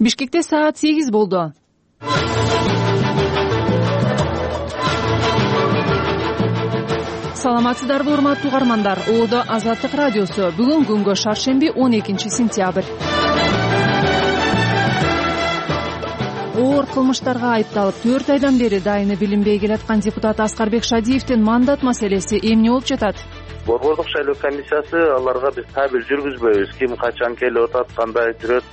Бишкекте саат 8 болду. Саламатсыздарбы, урматтуу угармандар. Оодо Азаттык радиосу. Бүгүн күнгө шаршемби 12 сентябрь. Оор кылмыштарга айыпталып 4 айдан бери дайыны билинбей келаткан депутат Аскарбек Шадиевдин мандат маселеси эмне болуп жатат? Борбордук шайлоо комиссиясы аларга биз табир жүргүзбөйбүз, ким качан келип атат, кандай жүрөт.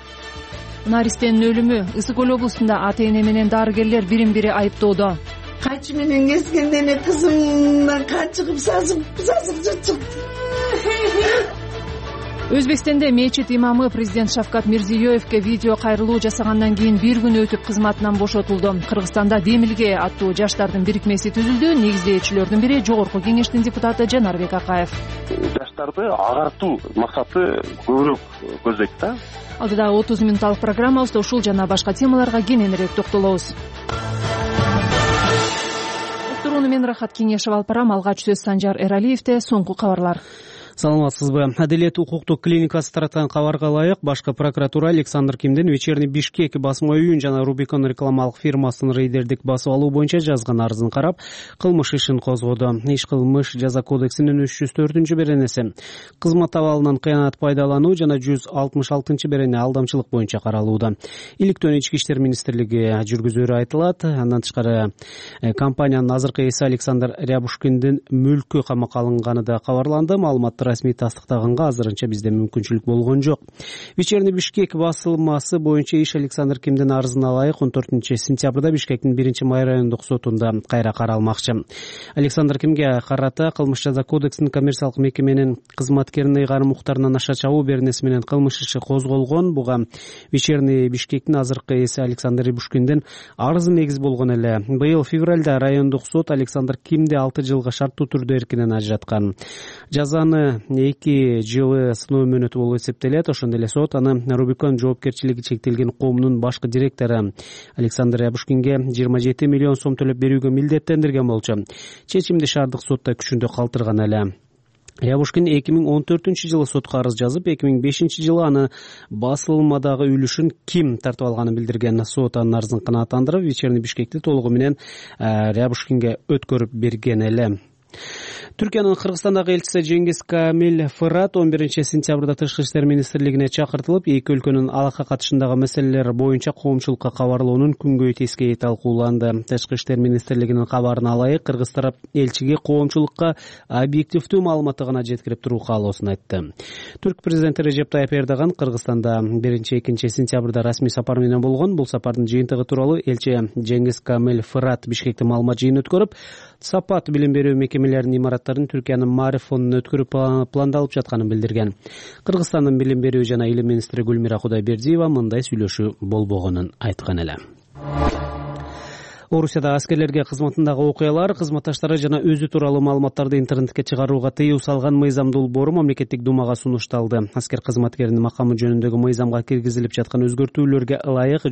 Наристенин өлүмү Ысык Көл облусунда ата-эне менен дарыгерлер бирин-бири айыптоодо. Качы менен кескенде эле кызымдан качыгып сазып чыкты. Өзбекстанда мечит имамы президент Шавкат Мирзиёевке видео кайрылуу жасагандан кийин бир күн өтүп кызматынан бошотулду. Кыргызстанда Демилге аттуу жаштардын бирикмеси түзүлдү. Негиздөөчүлөрдүн бири Жогорку кеңештин депутаты Жанарбек Акаев. Жаштарды агартуу максаты көбүрөөк көздөйт да. Алдыдагы 30 минутталык программабызда ушул жана башка темаларга кененирээк токтолобуз. Уктурууну мен Рахат Кеңешев алып барам. Алгач сөз Санжар Эралиевде. Соңку кабарлар. Саламатсызбы. Адилет укуктук клиникасы таратқан кабарга ылайык Башкы прокуратура Александр Кимдин Вечерний Бишкек басма үйүн жана Рубикон рекламалык фирмасын рейдердик басып алуу боюнча жазган арызын карап, кылмыш ишин козгоду. Иш кылмыш жаза кодексинин 304-беренеси кызмат абалынан кыянат пайдалануу жана 166-берене алдамчылык боюнча каралууда. Иликтөөнү Ички иштер министрлиги жүргүзөрү айтылат. Андан тышкары компаниянын азыркы ээси Александр Рябушкиндин мүлкү камакка алынганы да кабарланды. Маалыматты расмий тастыктаганга азырынча бизде мүмкүнчүлүк болгон жок. Вечерний Бишкек басылмасы боюнча иш Александр Кимдин арызына ылайык 14 сентябрда Бишкектин 1-май райондук сотунда кайра каралмакчы. Александр Кимге карата кылмыш жаза кодексинин коммерциялык мекеменин кызматкерин ыйгарым укуктарынан аша чабуу беренеси менен кылмыш иши козголгон. Буга Вечерний Бишкектин азыркы ээси Александр Рябушкиндин арызы негиз болгон эле. Быйыл февралда райондук сот Александр Кимди 6 жылга шарттуу түрдө эркинен ажыраткан. Жазаны 2 жылы сыноо мөөнөтү болуп эсептелет. Ошондой эле сот аны Рубикон жоопкерчилиги чектелген коомунун башкы директору Александр Рябушкинге 27 миллион сом төлөп берүүгө милдеттендирген болчу. Чечимди шаардык сотта күчүндө калтырган эле. Рябушкин 2014-жылы сотко арыз жазып, 2005-жылы аны басылмадагы үлүшүн Ким тартып алганын билдирген. Сот анын арызын канааттандырып, Вечерний Бишкекти толугу менен Рябушкинге өткөрүп берген эле. Түркиянын Кыргызстандагы элчиси Жеңгиз Камил Фырат 11 сентябрда Тышкы иштер министрлигине чакыртылып, эки өлкөнүн алака катышындагы маселелер боюнча коомчулукка кабарлоонун күнгөй тескейи талкууланды. Тышкы иштер министрлигинин кабарына ылайык, кыргыз тарап элчиге коомчулукка объективдүү маалыматты гана жеткирип туруу каалоосун айтты. Түрк президенти Режеп Тайып Эрдоган Кыргызстанда 1-2 сентябрда расмий сапар менен болгон. Бул сапардын жыйынтыгы тууралуу элчи Жеңгиз Камил Фырат Бишкекте маалымат жыйын өткөрүп, сапат билим берүү мекемелеринин имараттарын Түркиянын Маариф фондуна өткөрүп пландалып жатканын билдирген. Кыргызстандын билим берүү жана илим министри Гүлмира Кудайбердиева мындай сүйлөшүү болбогонун айткан эле. Орусияда аскерлерге кызматындагы окуялар, кызматташтары жана өзү тууралуу маалыматтарды интернетке чыгарууга тыюу салган мыйзам долбоору мамлекеттик думага сунушталды. Аскер кызматкеринин макамы жөнүндөгү мыйзамга киргизилип жаткан өзгөртүүлөргө ылайык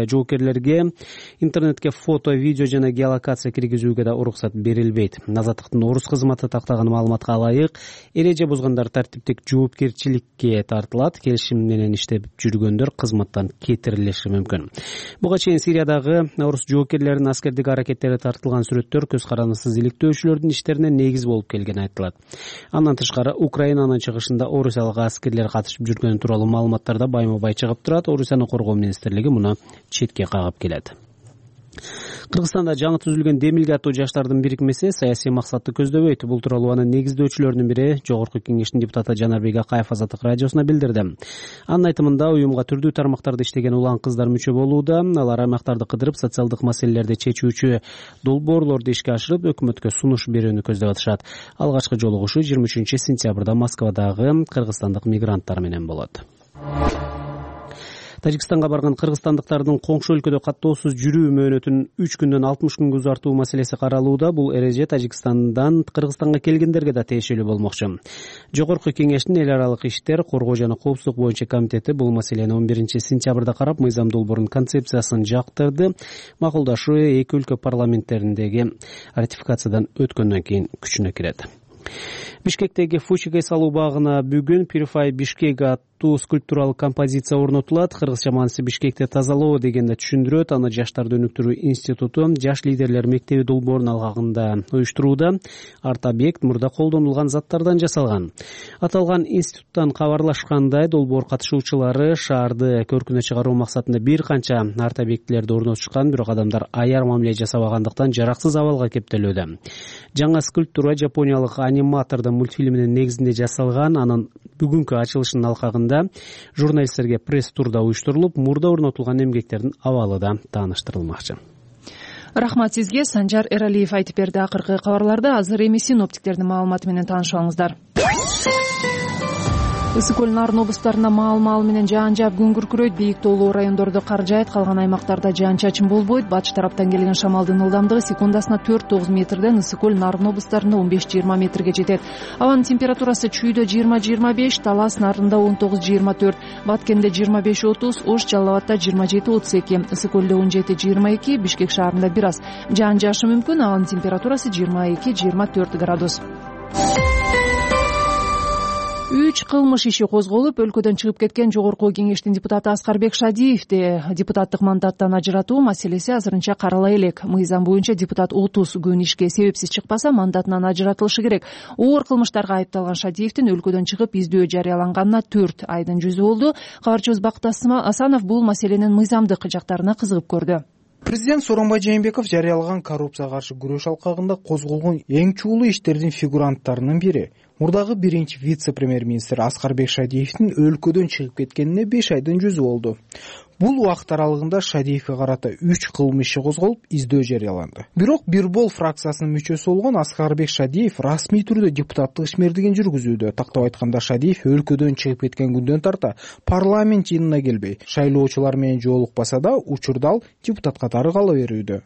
жоопкерлерге интернетке фото, видео жана геолокация киргизүүгө да уруксат берилбейт. Азаттыктын орус кызматы тактаган маалыматка ылайык эреже бузгандар тартиптик жоопкерчиликке тартылат. Келишим менен иштеп жүргөндөр кызматтан кетирилиши мүмкүн. Буга чейин Сириядагы орус жоопкерлеринин аскердик аракеттери тартылган сүрөттөр көз карандысыз иликтөөчүлөрдүн иштерине негиз болуп келгени айтылат. Андан тышкары Украинанын чыгышында орусиялык аскерлер катышып жүргөнү тууралуу маалыматтарда байма-бай чыгып турат. Орусияны коргоо министрлиги муну четке кагып келет. Кыргызстанда жаңы түзүлгөн Демилге аттуу жаштардын бирикмеси саясий максатты көздөбөйт. Бул тууралуу анын негиздөөчүлөрүнүн бири Жогорку кеңештин депутаты Жанарбек Акаев Азаттык радиосуна билдирди. Анын айтымында уюмга түрдүү тармактарда иштеген улан кыздар мүчө болууда. Алар аймактарды кыдырып, социалдык маселелерди чечүүчү долбоорлорду ишке ашырып, өкмөткө сунуш берүүнү көздөп атышат. Алгачкы жолугушуу 23 сентябрда Москвадагы кыргызстандык мигранттар менен болот. Тажикстанга барган кыргызстандыктардын коңшу өлкөдө каттоосуз жүрүү мөөнөтүн 3 күндөн 60 күнгө узартуу маселеси каралууда. Бул эреже Тажикстандан Кыргызстанга келгендерге да тиешелүү болмокчу. Жогорку кеңештин эл аралык иштер, коргоо жана коопсуздук боюнча комитети бул маселени 11 сентябрда карап, мыйзам долбоорунун концепциясын жактырды. Макулдашуу эки өлкө парламенттериндеги ратификациядан өткөндөн кийин күчүнө кирет. Бишкектеги Фучигай салуу багына бүгүн Purify Бишкек скульптуралык композиция орнотулат. Кыргызча мааниси Бишкекте тазалоо дегенди түшүндүрөт. Аны Жаштарды өнүктүрүү институту Жаш лидерлер мектеби долбоорунун алкагында уюштурууда. Арт объект мурда колдонулган заттардан жасалган. Аталган институттан кабарлашкандай, долбоор катышуучулары шаарды көркүнө чыгаруу максатында бир канча арт объектилерди орнотушкан, бирок адамдар аяр мамиле жасабагандыктан жараксыз абалга кептелүүдө. Жаңа скульптура жапониялык аниматордун мультфильминин негизинде жасалган. Анын бүгүнкү ачылышынын алкагында журналисттерге пресс-турда уюштурулуп, мурда орнотулган эмгектердин абалы да тааныштырылмакчы. Рахмат сизге. Санжар Эралиев айтып берди. Акыркы кабарларды азыр эми синоптиктердин маалыматы менен таанышабыңыздар. Ысык көл нарын облустарында маал менен жаан жаап күн күркүрөйт. Бийик тоолуу райондордо кар жаайт, калган аймактарда жаан-чачын болбойт. Батыш тараптан келген шамалдын ылдамдыгы секундасына 4-9 метрден ысык көл нарын облустарында 15-20 метрге жетет. Абанын температурасы Чүйдө 20-25, Талас нарында 19-24, Баткенде 25-30, Ош, Жалал Абадда 27-32, ысык көлдө 17-22, Бишкек шаарында бир аз жаан жаашы мүмкүн. Абанын температурасы 22-24 градус. 3 кылмыш иши козголуп, өлкөдөн чыгып кеткен Жогорку Кеңештин депутаты Аскарбек Шадиевди депутаттык мандаттан ажыратуу маселеси азырынча карала элек. Мыйзам боюнча депутат 30 күн ишке себепсиз чыкпаса мандатынан ажыратылышы керек. Оор кылмыштарга айыпталган Шадиевдин өлкөдөн чыгып издөө жарыяланганына 4 айдын жүзү болду. Кабарчыбыз Бакыт Асанов бул маселенин мыйзамдык жактарына кызыгып көрдү. Президент Сооронбай Жээнбеков жарыялаган коррупцияга каршы күрөш алкагында козголгон эң чуулуу иштердин фигуранттарынын бири. Мурдагы биринчи вице-премьер-министр Аскарбек Шадиевдин өлкөдөн чыгып кеткенине 5 айдын жүзү болду. Бул убакыт аралыгында Шадиевге карата 3 кылмыш иши козголуп, издөө жарыяланды. Бирок Бирбол фракциясынын мүчөсү болгон Аскарбек Шадиев расмий түрдө депутаттык ишмердигин жүргүзүүдө. Тактап айтканда, Шадиев өлкөдөн чыгып кеткен күндөн тарта парламент жыйынына келбей, шайлоочулар менен жолукпаса да, учурда ал депутат катары кала берүүдө.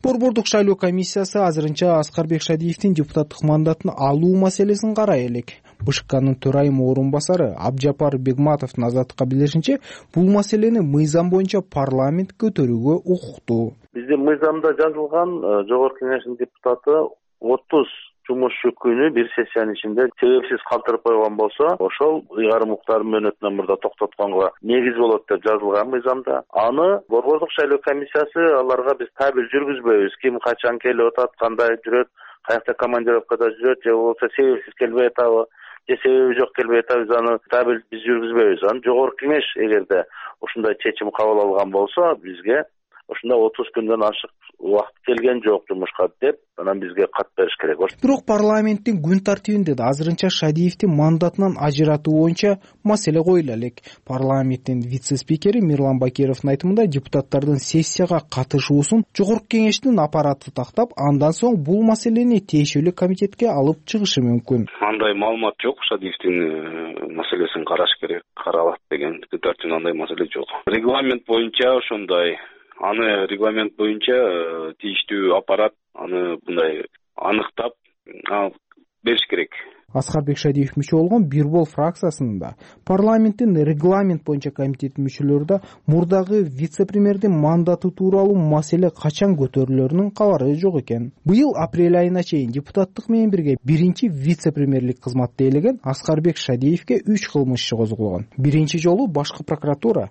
Борбордук шайлоо комиссиясы азырынча Аскарбек Шадиевдин депутаттык мандатын алуу маселесин карай элек. БШКнын төрайым орун басары Абжапар Бегматовдун азаттыкка билдиришинче, бул маселени мыйзам боюнча парламент көтөрүүгө укуктуу. Биздин мыйзамда жазылган Жогорку Кеңештин депутаты 30 жумушчу күнү бир сессиянын ичинде себепсиз калтырып койгон болсо, ошол ыйгарым укуктардын мөөнөтүнөн мурда токтотконго негиз болот деп жазылган мыйзамда. Аны борбордук шайлоо комиссиясы аларга биз табель жүргүзбөйбүз. Ким качан келип атат, кандай жүрөт, каякта командировкада жүрөт, же болбосо себепсиз келбей атабы, же себеби жок келбей атабы, аны табель биз жүргүзбөйбүз. Аны Жогорку Кеңеш эгерде ушундай чечим кабыл алган болсо, бизге ушунда 30 күндөн ашык убакыт келген жок жумушка деп, анан бизге кат бериш керек. Бирок парламенттин күн тартибинде да азырынча Шадиевдин мандатынан ажыратуу боюнча маселе коюла элек. Парламенттин вице-спикери Мирлан Бакировдун айтымында, депутаттардын сессияга катышуусун Жогорку Кеңештин аппараты тактап, андан соң бул маселени тиешелүү комитетке алып чыгышы мүмкүн. Андай маалымат жок. Шадиевдин маселесин караш керек, каралат деген күн тартибинде андай маселе жок. Регламент боюнча ошондой. Аны регламент боюнча тийиштүү аппарат аны мындай аныктап бериш керек. Аскарбек Шадиев мүчө болгон Бирбол фракциясынын да, парламенттин регламент боюнча комитетинин мүчөлөрү да мурдагы вице-премьердин мандаты тууралуу маселе качан көтөрүлөрүнүн кабары жок экен. Быйыл апрель айына чейин депутаттык менен бирге биринчи вице-премьерлик кызматты ээлеген Аскарбек Шадиевге 3 кылмыш иши козголгон. Биринчи жолу башкы прокуратура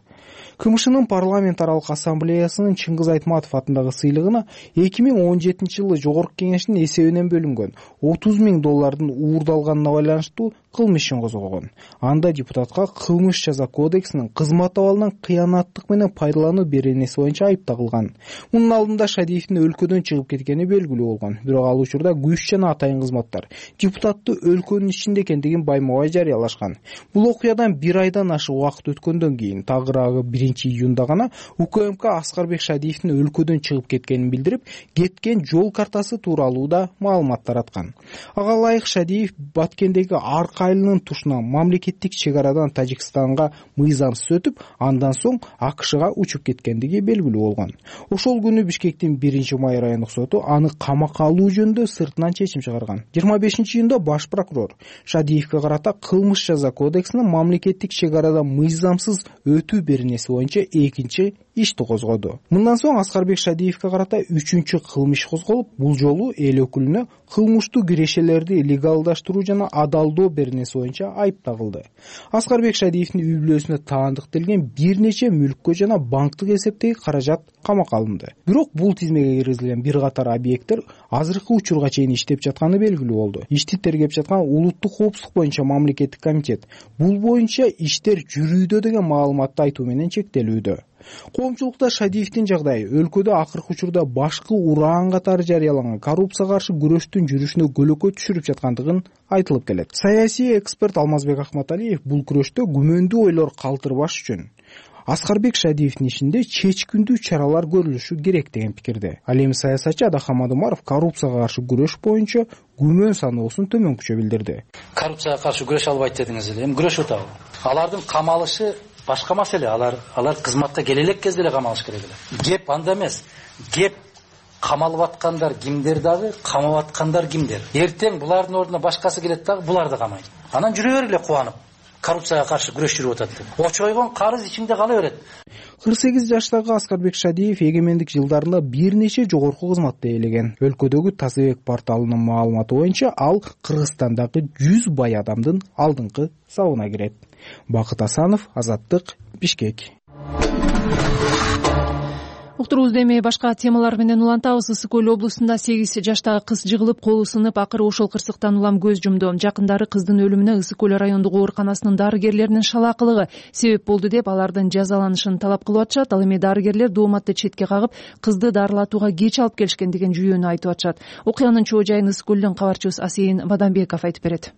КМШнын парламент аралык ассамблеясынын Чыңгыз Айтматов атындагы сыйлыгына 2017-жылы Жогорку Кеңештин эсебинен бөлүнгөн $30,000 уурдалганына байланыштуу кылмыш ишин козгогон. Анда депутатка кылмыш жаза кодексинин кызмат абалынан кыянаттык менен пайдалануу беренеси боюнча айып тагылган. Мунун алдында Шадиевдин өлкөдөн чыгып кеткени белгилүү болгон. Бирок ал учурда күч жана атайын кызматтар депутатты өлкөнүн ичинде экендигин байма-бай жарыялашкан. Бул окуядан 1 айдан ашык убакыт өткөндөн кийин тагыраагы 1-июнда гана УКМК Аскарбек Шадиевдин өлкөдөн чыгып кеткенин билдирип, кеткен жол картасы тууралуу да маалымат тараткан. Ага ылайык Шадиев Баткендеги Арка айылынын тушунан мамлекеттик чек арадан Тажикстанга мыйзамсыз өтүп, андан соң АКШга учуп кеткендиги белгилүү болгон. Ошол күнү Бишкектин 1-май райондук соту аны камакка алуу жөнүндө сыртынан чечим чыгарган. 25-июнда баш прокурор Шадиевге карата кылмыш жаза кодексинин мамлекеттик чек арадан мыйзамсыз өтүү беренеси боюнча экинчи ишти козгоду. Мындан соң Аскарбек Шадиевге карата 3-чү кылмыш козголуп, бул жолу эл өкүлүнө кылмыштуу кирешелерди легалдаштыруу жана адалдоо беренеси беренеси боюнча айып тагылды. Аскарбек Шадиевдин үй бүлөсүнө таандыктелген бир нече мүлккө жана банктык эсептеги каражат камакка алынды. Бирок бул тизмеге киргизилген бир катар объекттер азыркы учурга чейин иштеп жатканы белгилүү болду. Ишти тергеп жаткан улуттук коопсуздук боюнча мамлекеттик комитет бул боюнча иштер жүрүүдө деген маалыматты айтуу менен чектелүүдө. Коомчулукта Шадиевдин жагдайы өлкөдө акыркы учурда башкы ураан катары жарыяланган коррупцияга каршы күрөштүн жүрүшүнө көлөкө түшүрүп жаткандыгын айтылып келет. Саясий эксперт Алмазбек Акматалиев бул күрөштө күмөндүү ойлор калтырбаш үчүн Аскарбек Шадиевдин ишинде чечкиндүү чаралар көрүлүшү керек деген пикирде. Ал эми саясатчы Адахам Адымаров коррупцияга каршы күрөш боюнча күмөн саноосун төмөнкүчө билдирди. Коррупцияга каршы күрөшө албайт дедиңиз эле. Эми күрөшүп атабы? Алардын камалышы башка маселе. Алар кызматка келе элек кезде эле камалыш керек эле. Кеп анда эмес. Кеп камалып аткандар кимдер дагы, камап аткандар кимдер. Эртең булардын ордуна башкасы келет дагы, булар да камайт. Анан жүрө бергиле кубанып. Коррупцияга каршы күрөш жүрүп атат деп. Очойгон карыз ичинде кала берет. 48 жаштагы Аскарбек Шадиев эгемендик жылдарында бир нече жогорку кызматты ээлеген. Өлкөдөгү Тазабек порталынын маалыматы боюнча ал Кыргызстандагы 100 бай адамдын алдыңкы сабына кирет. Бакыт Асанов, Азаттык, Бишкек. Уктуруубузду эми башка темалар менен улантабыз. Ысык Көл облусунда 8 жаштагы кыз жыгылып, колу сынып, акыры ошол кырсыктан улам көз жумду. Жакындары кыздын өлүмүнө Ысык Көл райондук ооруканасынын дарыгерлеринин шалаакылыгы себеп болду деп алардын жазаланышын талап кылып атышат. Ал эми дарыгерлер дооматты четке кагып, кызды дарылатууга кеч алып келишкен деген жүйөнү айтып атышат. Окуянын чоо жайын Ысык Көлдөн кабарчыбыз Асейин Бадамбеков айтып берет.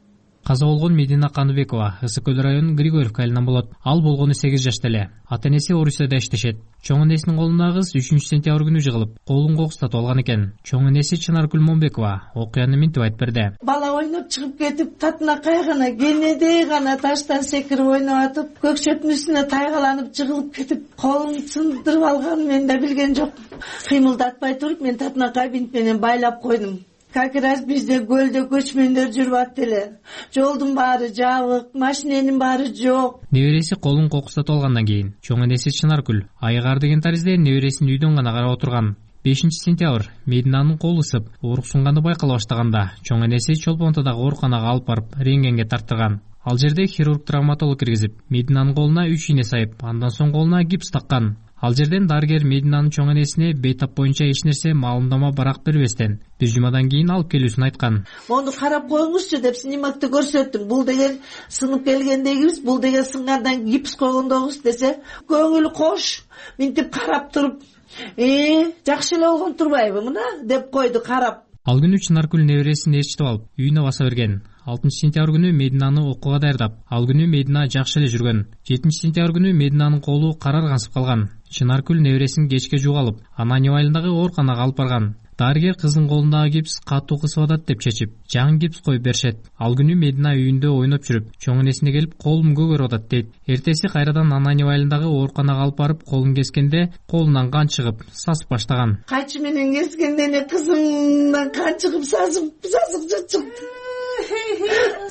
Каза болгон Медина Каныбекова Ысык Көл районунун Григорьевка айылынан болот. Ал болгону 8 жашта эле. Ата-энеси Орусияда иштешет. Чоң энесинин колуна кыз 3-сентябрь күнү жыгылып, колун кокустатып алган экен. Чоң энеси Чынаргүл Момбекова окуяны минтип айтып берди. Бала ойноп чыгып кетип, татынакай гана кенедей гана таштан секирип ойноп атып, көкчөтүн үстүнө тайгаланып жыгылып кетип, колун сындырып алганын мен да билген жокмун. Кыймылдатпай туруп, мен татынакай бинт менен байлап койдум. Как раз бизде көлдө көчмөндөр жүрүп атты эле. Жолдун баары жабык, машиненин баары жок. Небереси колун кокустатып алгандан кийин чоң энеси Чынаргүл айыгар деген таризде небересин үйдөн гана карап отурган. 5-сентябрь Мединанын колу ысып, ооруксунганы байкала баштаганда чоң энеси Чолпонтодогу ооруканага алып барып рентгенге тарттырган. Ал жерде хирург-травматолог киргизип, Мединанын колуна 3 ийне сайып, андан соң колуна гипс таккан. Ал жерден дарыгер Мединанын чоң энесине бейтап боюнча эч нерсе маалымдама барак бербестен бир жумадан кийин алып келүүсүн айткан. Мону карап коюңузчу деп снимокты көрсөттүм. Бул деген сынып келгендегибиз, бул деген сынгандан гипс койгондогубуз десе, көңүл кош, минтип карап туруп, жакшы эле болгон турбайбы мына деп койду карап. Ал күнү Чынаргүл небересин ээрчитип алып, үйүнө баса берген. 6-сентябрь күнү Мединаны окууга даярдап, ал күнү Медина жакшы эле жүргөн. 7-сентябрь күнү Мединанын колу караргансып калган. Чынаргүл небересин кечке жугалып, Ананьев айылындагы ооруканага алып барган. Дарыгер кыздын колундагы гипс катуу кысып атат деп чечип, жаңы гипс коюп беришет. Ал күнү Медина үйүндө ойноп жүрүп, чоң энесине келип, колум көгөрүп атат дейт. Эртеси кайрадан Ананьев айылындагы ооруканага алып барып, колун кескенде колунан кан чыгып, сасып баштаган. Кайчы менен кескенде эле кызымдан кан чыгып, сасык чыкты.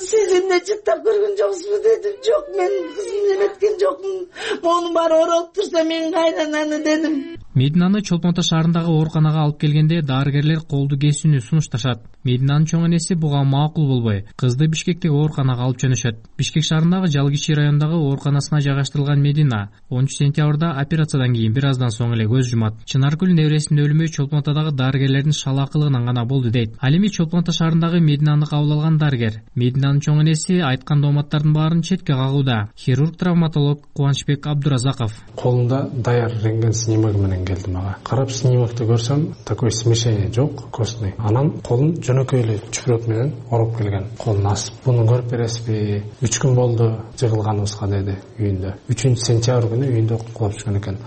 Сиз эмне жыттап көргөн жоксузбу дедим. Жок, мен кызымды эметкен жокмун. Монун баары оролуп турса мен кайнананы дедим. Мединаны Чолпонто шаарындагы ооруканага алып келгенде дарыгерлер колду кесүүнү сунушташат. Мединанын чоң энеси буга макул болбой, кызды Бишкектеги ооруканага алып жөнөшөт. Бишкек шаарындагы Жалгичи районундагы ооруканасына жайгаштырылган Медина 10-сентябрда операциядан кийин бир аздан соң эле көз жумат. Чынаргүл небересинин өлүмү Чолпонтодогу дарыгерлердин шалаакылыгынан гана болду дейт. Ал эми Чолпонто шаарындагы Мединаны кабыл алган дарыгер Мединанын чоң энеси айткан дооматтардын баарын четке кагууда. Хирург-травматолог Кубанычбек Абдуразаков. Колунда даяр рентген снимоги менен келдим ага. Карап снимокты көрсөм, такой смешение жок, костный. Анан колун жөнөкөй эле чүпүрөк менен ороп келген. Колун асып. Буну көрүп бересизби? 3 күн болду жыгылганыбызга деди үйүндө. 3-сентябрь күнү үйүндө кулап түшкөн экен.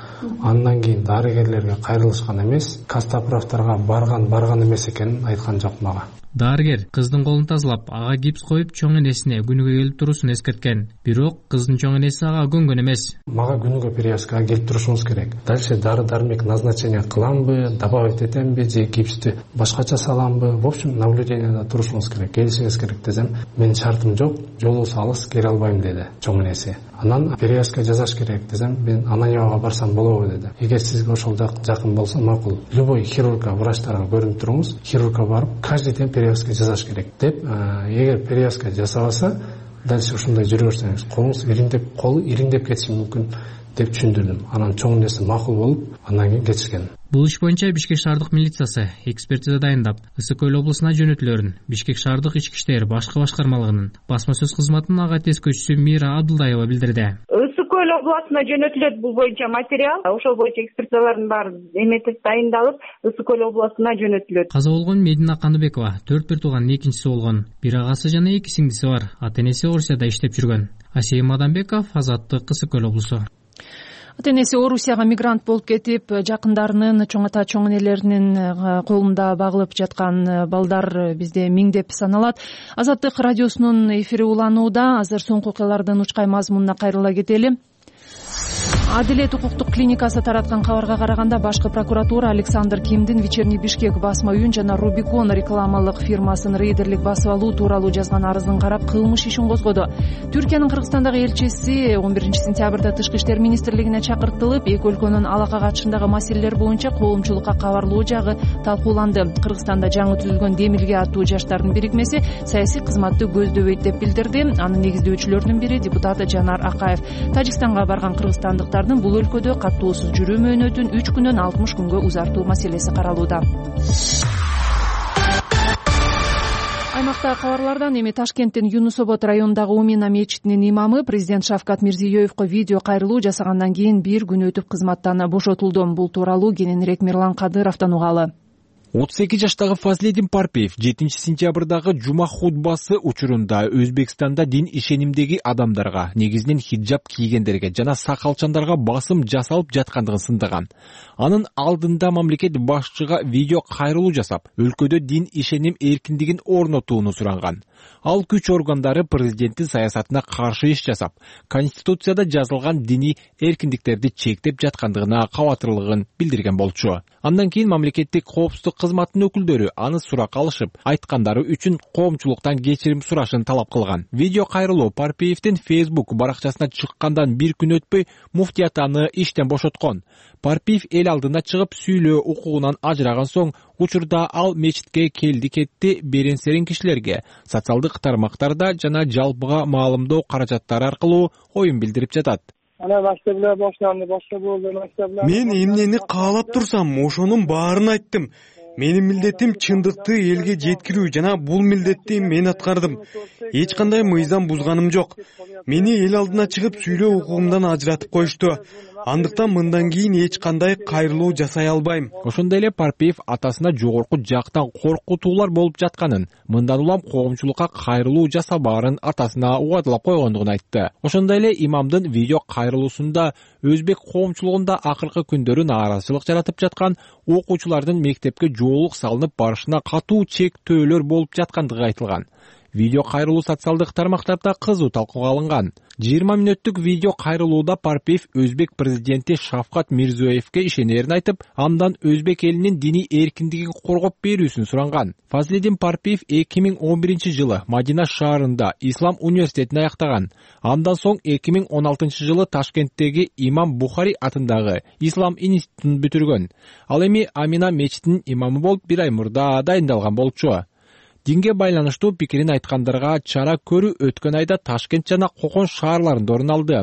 Андан кийин дарыгерлерге кайрылышкан эмес, Костоправдарга барган эмес экенин айткан жок мага. Дарыгер кыздын колун тазалап, ага гипс коюп, чоң энесине күнүгө келип туруусун эскерткен. Бирок кыздын чоң энеси ага көнгөн эмес. Мага күнүгө перевязкага келип турушуңуз керек. Дальше дары-дармек назначение кыламбы, добавить этемби же гипсти башкача саламбы? В общем, наблюдениеда турушуңуз керек. Келишиңиз керек десем, менин шартым жок, жолубуз алыс, келе албайм деди чоң энеси. Анан перевязка жасаш керек десем, мен Ананьевага барсам болобу деди. Эгер сизге ошол жакын болсо макул. Любой хирургка, врачтарга көрүнүп туруңуз, хирургка барып, каждый день перевязка жасаш керек деп, эгер перевязка жасабаса, дальше ушундай жүрө берсеңиз колуңуз колу ириңдеп кетиши мүмкүн деп түшүндүрдүм. Анан чоң нерсе макул болуп, андан кийин кетишкен. Бул иш боюнча Бишкек шаардык милициясы экспертиза дайындап, Ысык Көл облусуна жөнөтүлөрүн Бишкек шаардык ички иштер башкы башкармалыгынын басма сөз кызматынын ага тескөөчүсү Мира Абдулдаева билдирди. Ысык Көл областына жөнөтүлөт бул боюнча материал. Ошол боюнча экспертизалардын баары эметип дайындалып, Ысык Көл областына жөнөтүлөт. Каза болгон Медина Кандыбекова 4 тууганын экинчиси болгон. Бир агасы жана 2 сиңдиси бар. Ата-энеси Орусияда иштеп жүргөн. Асей Мадамбеков, Азаттык, Ысык Көл облусу. Ата-энеси Орусияга мигрант болуп кетип, жакындарынын, чоң ата чоң энелеринин колунда багылып жаткан балдар бизде миңдеп саналат. Азаттык радиосунун эфири уланууда. Азыр соңку окуялардын учкай мазмунуна кайрыла кетели. Адилет укуктук клиникасы тараткан кабарга караганда, башкы прокуратура Александр Кимдин Вечерний Бишкек басма үйүн жана Рубикон рекламалык фирмасын рейдерлик басып алуу тууралуу жазган арызын карап кылмыш ишин козгоду. Түркиянын Кыргызстандагы элчиси 11 сентябрда Тышкы иштер министрлигине чакыртылып, эки өлкөнүн алака катышындагы маселелер боюнча коомчулукка кабарлоо жагы талкууланды. Кыргызстанда жаңы түзүлгөн Демилге аттуу жаштардын бирикмеси саясий кызматты көздөбөйт деп билдирди. Анын негиздөөчүлөрүнүн бири депутат Жанар Акаев. Тажикстанга барган кыргызстандыктардын бул өлкөдө каттуусуз жүрүү мөөнөтүн 3 күнөн 60 күнгө узартуу маселеси каралууда. Аймакта кабарлардан эми Ташкенттин Юнус Обод районундагы Умина мечитинин имамы президент Шавкат Мирзиёевго видео кайрылуу жасагандан кийин 1 күн өтүп кызматтан бошотулду. Бул тууралуу кененирээк Мирлан Кадыровдон угалы. 32 жаштагы Фазлидин Парпиев 7 сентябрдагы жума хутбасы учурунда Өзбекстанда дин ишенимдеги адамдарга, негизинен хиджаб кийгендерге жана сакалчандарга басым жасалып жаткандыгын сындаган. Анын алдында мамлекет башчыга видео кайрылуу жасап, өлкөдө дин ишеним эркиндигин орнотууну суранган. Ал күч органдары президенттин саясатына каршы иш жасап, Конституцияда жазылган диний эркиндиктерди чектеп жаткандыгына кабатырлыгын билдирген болчу. Андан кийин мамлекеттик коопсуздук кызматынын өкүлдөрү аны сурак алышып, айткандары үчүн коомчулуктан кечирим сурашын талап кылган. Видео кайрылуу Парпиевдин Facebook баракчасына чыккандан 1 күн өтпөй муфтият аны иштен бошоткон. Парпиев эл алдына чыгып сүйлөө укугунан ажыраган соң, учурда ал мечитке келди-кетти беренсерин кишилерге социалдык тармактарда жана жалпыга маалымдоо каражаттары аркылуу оюн билдирип жатат. Ана баштабылар баштанды, башка болду, баштабылар. Мен эмнени каалап турсам, ошонун баарын айттым. Менин милдетим чындыкты элге жеткирүү жана бул милдетти мен аткардым. Эч кандай мыйзам бузганым жок. Мени эл алдына чыгып сүйлөө укугумдан ажыратып коюшту. Андыктан мындан кийин эч кандай кайрылуу жасай албайм. Ошондой эле Парпиев атасына жогорку жактан коркутуулар болуп жатканын, мындан улам коомчулукка кайрылуу жасабаарын атасына убадалап койгондугун айтты. Ошондой эле имамдын видео кайрылуусунда өзбек коомчулугунда акыркы күндөрү нааразычылык жаратып жаткан окуучулардын мектепке жоолук салынып барышына катуу чектөөлөр болуп жаткандыгы айтылган. Видео кайрылуу социалдык тармактарда кызуу талкууга алынган. 20 мүнөттүк видео кайрылууда Парпиев өзбек президенти Шавкат Мирзиёевге ишенерин айтып, андан өзбек элинин диний эркиндигин коргоп берүүсүн суранган. Фазлидин Парпиев 2011 жылы Мадина шаарында Ислам университетин аяктаган. Андан соң 2016 жылы Ташкенттеги Имам Бухари атындагы Ислам институтун бүтүргөн. Ал эми Амина мечитинин имамы болуп 1 ай мурда дайындалган болчу. Динге байланыштуу пикирин айткандарга чара көрүү өткөн айда Ташкент жана Кокон шаарларында орун алды.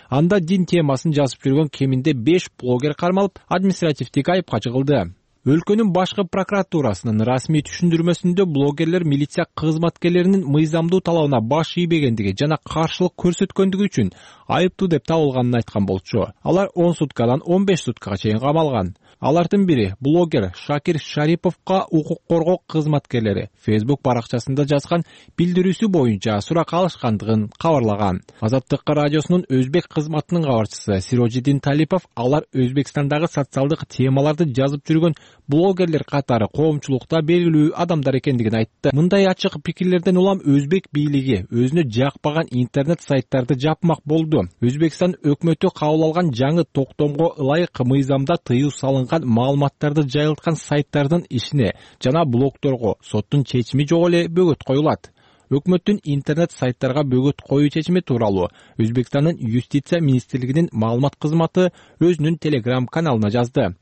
Анда дин темасын жазып жүргөн кеминде 5 блогер кармалып, административдик айыпка жыгылды. Өлкөнүн башкы прокуратурасынын расмий түшүндүрмөсүндө блогерлер милиция кызматкерлеринин мыйзамдуу талабына баш ийбегендиги жана каршылык көрсөткөндүгү үчүн айыптуу деп табылганын айткан болчу. Алар 10 суткадан 15 суткага чейин камалган. Алардын бири блогер Шакир Шариповго укук коргоо кызматкерлери Facebook баракчасында жазган билдирүүсү боюнча сурак алышкандыгын кабарлаган. Азаттык радиосунун өзбек кызматынын кабарчысы Сирожидин Талипов алар Өзбекстандагы социалдык темаларды жазып жүргөн блогерлер катары коомчулукта белгилүү адамдар экендигин айтты. Мындай ачык пикирлерден улам өзбек бийлиги өзүнө жакпаган интернет сайттарды жапмак болду. Өзбекстан өкмөтү кабыл алган жаңы токтомго ылайык мыйзамда тыюу салынган маалыматтарды жайылткан сайттардын ишине жана блогторго соттун чечими жок эле бөгөт коюлат. Өкмөттүн интернет сайттарга бөгөт коюу чечими тууралуу Өзбекстандын юстиция министрлигинин маалымат кызматы өзүнүн Telegram каналына жазды.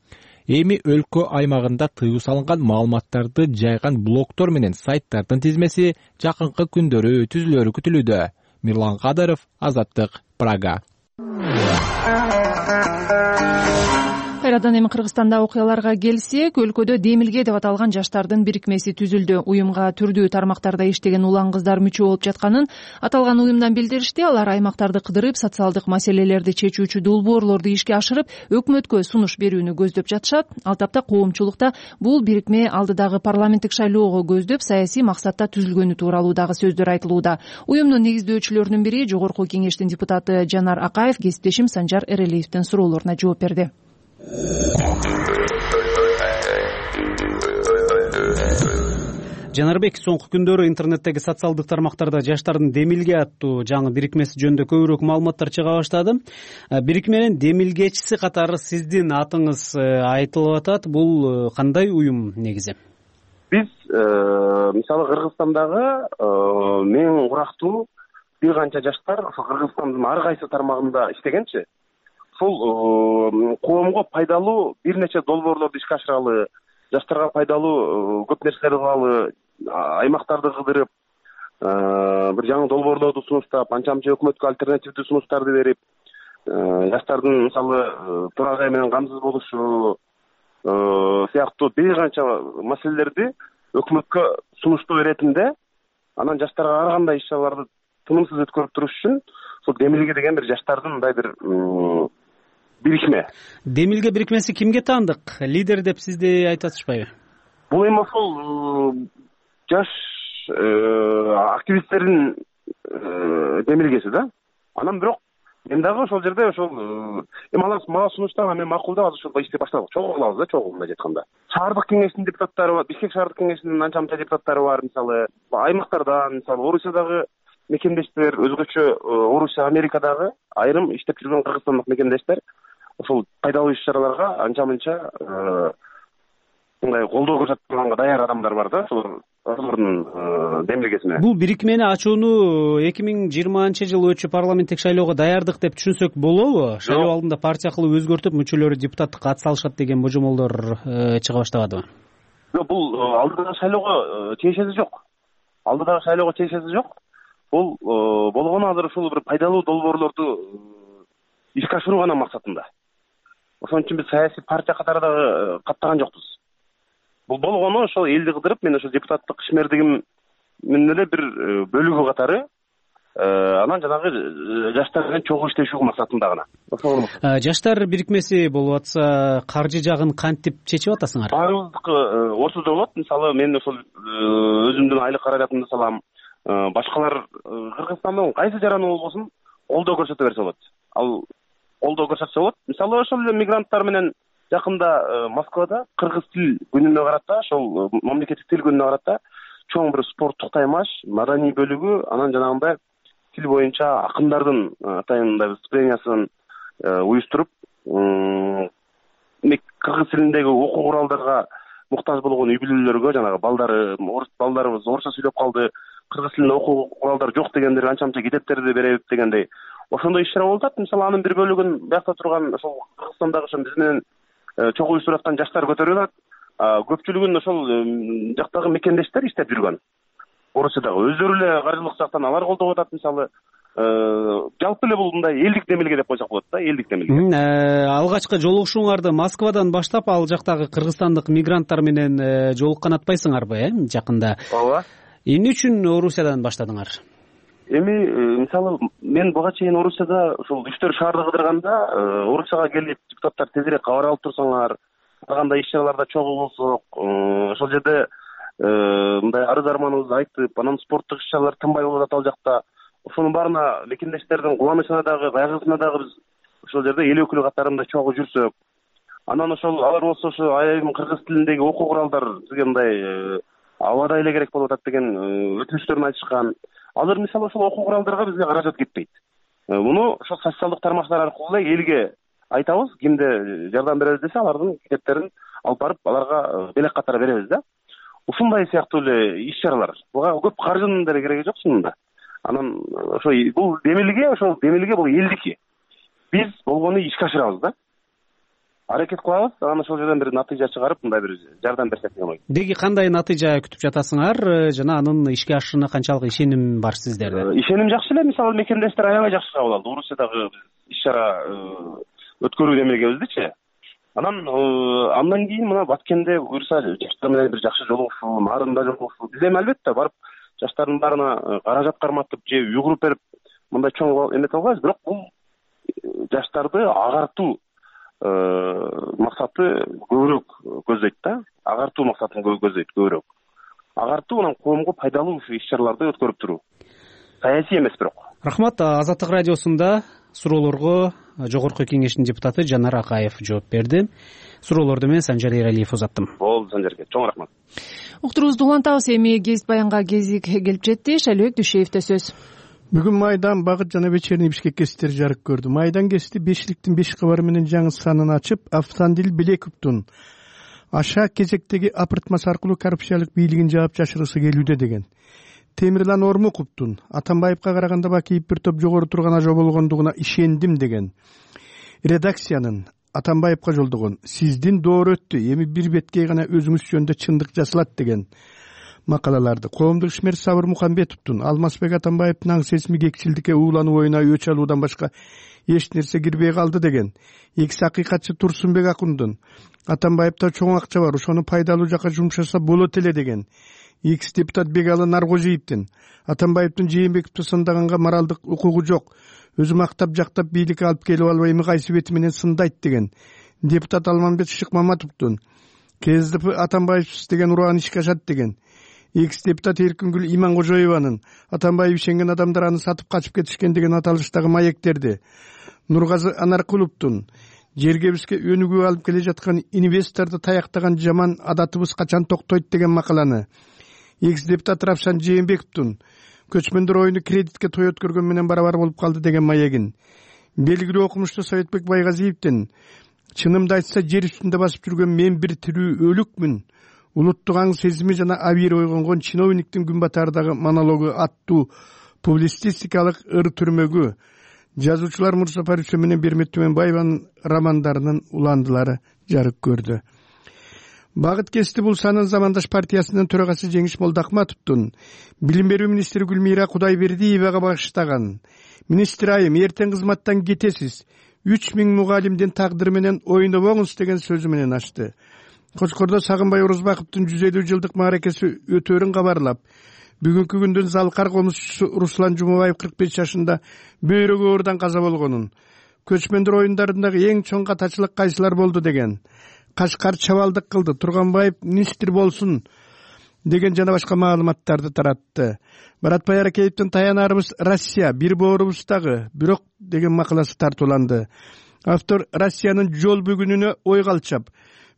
Эми өлкө аймагында тыюу салынган маалыматтарды жайган блогтор менен сайттардын тизмеси жакынкы күндөрү түзүлөрү күтүлүүдө. Мирлан Кадыров, Азаттык, Прага. Кайрадан эми Кыргызстанда окуяларга келсек, өлкөдө Демилге деп аталган жаштардын бирикмеси түзүлдү. Уюмга түрдүү тармактарда иштеген улан кыздар мүчө болуп жатканын аталган уюмдан билдиришти. Алар аймактарды кыдырып, социалдык маселелерди чечүүчү долбоорлорду ишке ашырып, өкмөткө сунуш берүүнү көздөп жатышат. Ал тапта коомчулукта бул бирикме алдыдагы парламенттик шайлоого көздөп, саясий максатта түзүлгөнү тууралуу дагы сөздөр айтылууда. Уюмдун негиздөөчүлөрүнүн бири Жогорку Кеңештин депутаты Жанар Акаев кесиптешим Санжар Эрелиевдин суроолоруна жооп берди. Жанарбек, соңку күндөрү интернеттеги социалдык тармактарда жаштардын Демилге аттуу жаңы бирикмеси жөнүндө көбүрөөк маалыматтар чыга баштады. Бирикменин демилгечиси катары сиздин атыңыз айтылып атат. Бул кандай уюм негизи? Биз мисалы Кыргызстандагы мен урактуу бир канча жаштар Кыргызстандын ар кайсы тармагында иштегенчи. Ушул коомго пайдалуу бир нече долбоорлорду ишке ашыралы, жаштарга пайдалуу көп нерселерди кылалы, аймактарды кыдырып, бир жаңы долбоорлорду сунуштап, анча-мынча өкмөткө альтернативдүү сунуштарды берип, жаштардын мисалы турак ай менен камсыз болушу сыяктуу бир канча маселелерди өкмөткө сунуштоо иретинде, анан жаштарга ар кандай иш чараларды тынымсыз өткөрүп туруш үчүн ушул Демилге деген бир жаштардын мындай бир бирикме. Демилге бирикмеси кимге таандык? Лидер деп сизди айтып атышпайбы? Бул эми ошол жаш активисттердин демилгеси да. Анан бирок мен дагы ошол жерде ошол эми алар мага сунуштаган, мен макулдап азыр ошол иштеп баштадык. Чогуу кылабыз да, чогуу мындай айтканда. Шаардык кеңештин депутаттары бар, Бишкек шаардык кеңешинин анча-мынча депутаттары бар, мисалы аймактардан, мисалы Орусиядагы мекендештер, өзгөчө Орусия, Америкадагы айрым иштеп жүргөн кыргызстандык мекендештер ошол пайдалуу иш чараларга анча-мынча мындай колдоо көрсөткөнгө даяр адамдар бар да, ошолордун демилгесине. Бул бирикмени ачууну 2020-жылы өтчү парламенттик шайлоого даярдык деп түшүнсөк болобу? Шайлоо алдында партия кылып өзгөртүп, мүчөлөрү депутаттыкка ат салышат деген божомолдор чыга баштабадыбы? Жок, бул алдыдагы шайлоого тиешеси жок. Алдыдагы шайлоого тиешеси жок. Бул болгону азыр ушул бир пайдалуу долбоорлорду ишке ашыруу гана максатында. Ошон үчүн биз саясий партия катары дагы каттаган жокпуз. Бул болгону ошол элди кыдырып, мен ошол депутаттык ишмердигимдин эле бир бөлүгү катары анан жанагы жаштар менен чогуу иштешүү максатында гана. Жаштар бирикмеси болуп атса, каржы жагын кантип чечип атасыңар? Баарыбыздыкы ортодо болот. Мисалы мен ошол өзүмдүн айлык каражатымды салам. Башкалар Кыргызстандын кайсы жараны болбосун колдоо көрсөтө берсе болот. Ал колдоо көрсөтсө болот. Мисалы ошол эле мигранттар менен жакында Москвада кыргыз тил күнүнө карата, ошол мамлекеттик тил күнүнө карата чоң бир спорттук таймаш, маданий бөлүгү, анан жанагындай тил боюнча акындардын атайын выступлениясын уюштуруп, кыргыз тилиндеги окуу куралдарга муктаж болгон үй бүлөлөргө, жанагы балдарыбыз орусча сүйлөп калды, кыргыз тилинде окуу куралдар жок дегендер анча-мынча китептерди беребиз дегендей. Ошондой иш чара болуп атат. Мисалы анын бир бөлүгүн биякта турган ошол Кыргызстандагы ошо биз менен чогуу уюштуруп аткан жаштар көтөрүп атат. Көпчүлүгүн ошол жактагы мекендештер иштеп жүргөн. Орусиядагы өздөрү эле каржылык жактан алар колдоп атат. Мисалы жалпы эле бул мындай элдик демилге деп койсок болот да, элдик демилге. Алгачкы жолугушууңарды Москвадан баштап ал жактагы кыргызстандык мигранттар менен жолуккан атпайсыңарбы, жакында? Ооба. Эмне үчүн Орусиядан баштадыңар? Эми мисалы мен буга чейин Орусияда ушул 3-4 шаарды кыдырганда Орусияга келип депутаттар тезирээк кабар алып турсаңар, ар кандай иш чараларда чогуу болсок, ошол жерде мындай арыз арманыбызды айтып, анан спорттук иш чаралар тынбай болуп атат ал жакта. Ошонун баарына мекендештердин кубанычына дагы, кайгысына дагы биз ошол жерде эл өкүлү катарында чогуу жүрсөк, анан ошол алар болсо ошо айрым кыргыз тилиндеги окуу куралдар бизге мындай абадай эле керек болуп атат деген өтүнүчтөрүн айтышкан. Азыр мисалы ошол окуу куралдарга бизге каражат кетпейт. Муну ошол социалдык тармактар аркылуу эле элге айтабыз, кимде жардам беребиз десе, алардын китептерин алып барып, аларга белек катары беребиз да. Ушундай сыяктуу эле иш чаралар. Буга көп каржынын деле кереги жок чынында. Анан ошо бул демилге бул элдики. Биз болгону ишке ашырабыз да. аракет кылабыз, анан ошол жерден бир натыйжа чыгарып мындай бир жардам берсек деген ой. Деги кандай натыйжа күтүп жатасыңар жана анын ишке ашышына канчалык ишеним бар сиздерде? Ишеним жакшы эле, мисалы мекемдештер аябай жакшы кабыл алды. Орусиядагы иш чара өткөрүү демегебиздичи. Андан кийин мына Баткенде буюрса жаштар менен бир жакшы жолугушуу, нарында жолугушуу. Биз эми албетте барып жаштардын баарына каражат карматып же үй куруп берип мындай чоң эметип албайбыз, бирок бул жаштарды агартуу максаты көбүрөөк көздөйт да. Агартуу максатын көздөйт көбүрөөк. Агартуу анан коомго пайдалуу иш чараларды өткөрүп туруу. Саясий эмес бирок. Рахмат. Азаттык радиосунда суроолорго Жогорку Кеңештин депутаты Жанар Акаев жооп берди. Суроолорду мен Санжар Эралиев узаттым. Болду Санжарке, чоң рахмат. Уктуруубузду улантабыз. Эми гезит баянга кезик келип жетти. Шайлыбек Дүйшеевде сөз. Бүгүн Майдан, Багыт жана Вечерний Бишкек гезиттери жарык көрдү. Майдан гезити бешликтин 5 кабары менен жаңы санын ачып, Автандил Билековдун аша кезектеги апыртмасы аркылуу коррупциялык бийлигин жаап жашыргысы келүүдө деген. Темирлан Ормуковдун Атамбаевка караганда Бакиев бир топ жогору турган ажо болгондугуна ишендим деген. Редакциянын Атамбаевка жолдогон сиздин доор өттү, эми бир бетке гана өзүңүз жөнүндө чындык жасалат деген макалаларды коомдук ишмер Сабыр Мухамбетовдун Алмазбек Атамбаевдин аң сесми кекчилдикке уулануу оюна өч алуудан башка эч нерсе кирбей калды деген. Экс акыйкатчы Турсунбек Акундун Атамбаевда чоң акча бар, ошону пайдалуу жакка жумшаса болот эле деген. Экс депутат Бегалы Наргожиевдин Атамбаевдин Жээнбековду сындаганга моралдык укугу жок, өзү мактап жактап бийликке алып келип албай эми кайсы бети менен сындайт деген. Депутат Алмамбет Шыкмаматовдун КСДП Атамбаевсиз деген ураан ишке ашат деген. Экс депутат Эркингүл Иманкожоеванын Атамбаев ишенген адамдар аны сатып качып кетишкен деген аталыштагы маектерди. Нургазы Анаркуловдун жергебизге өнүгүү алып келе жаткан инвесторду таяктаган жаман адатыбыз качан токтойт деген макаланы. Экс депутат Равшан Жээнбековдун көчмөндөр оюну кредитке той өткөргөн менен барабар болуп калды деген маегин. Белгилүү окумуштуу Советбек Байгазиевдин чынымды айтса жер үстүндө басып жүргөн мен бир тирүү өлүкмүн, улуттук аң сезими жана абийир ойгонгон чиновниктин күн батаардагы монологу аттуу публицистикалык ыр түрмөгү жазуучулар Мурса Париче менен Бермет Түмөнбаеванын романдарынын уландылары жарык көрдү. Багыт гезити бул санын замандаш партиясынын төрагасы Жеңиш Молдахматовдун билим берүү министри Гүлмира Кудайбердиевага багыштаган министр айым эртең кызматтан кетесиз, 3000 мугалимдин тагдыры менен ойнобоңуз деген сөзү менен ачты. Кочкордо Сагынбай Орозбаковдун 150 жылдык мааракеси өтөөрүн кабарлап, бүгүнкү күндүн залкар комузчусу Руслан Жумабаев 45 жашында бөйрөгү оорудан каза болгонун, көчмөндөр оюндарындагы эң чоң катачылык кайсылар болду деген, Кашкар чабалдык кылды, Турганбаев министр болсун деген жана башка маалыматтарды таратты. Баратбай Аракеевдин таянарыбыз Россия, бир боорубуздагы, бирок деген макаласы тартууланды. Автор Россиянын жол бүгүнүнө ой калчап,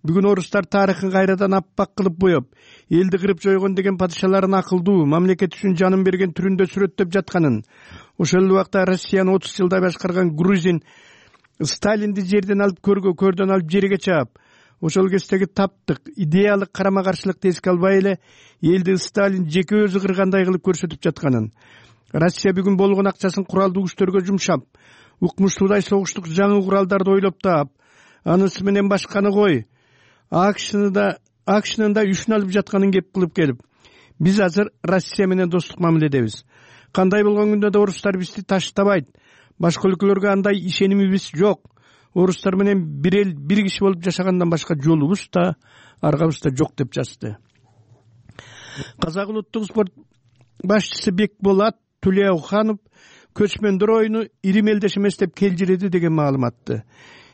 бүгүн орустар тарыхын кайрадан аппак кылып боеп, элди кырып жойгон деген падышаларын акылдуу, мамлекет үчүн жанын берген түрүндө сүрөттөп жатканын, ошол убакта Россияны 30 жылдай башкарган грузин Сталинди жерден алып көрдөн алып жерге чаап, ошол кездеги таптык, идеялык карама-каршылыкты эске албай эле элди Сталин жеке өзү кыргандай кылып көрсөтүп жатканын, Россия бүгүн болгон акчасын куралдуу күчтөргө жумшап, укмуштуудай согуштук жаңы куралдарды ойлоп таап, анысы менен башканы кой, акшнын да үшүн алып жатканын кеп кылып келип, биз азыр Россия менен достук мамиледебиз. Кандай болгон күндө да орустар бизди таштабайт. Башка өлкөлөргө андай ишенимибиз жок. Орустар менен бир эл, бир киши болуп жашагандан башка жолубуз да, аргабыз да жок деп жазды. Казак улуттук спорт башчысы Бекболат Тулеуханов көчмөндөр оюну ири мелдеш эмес деп келжиреди деген маалыматты.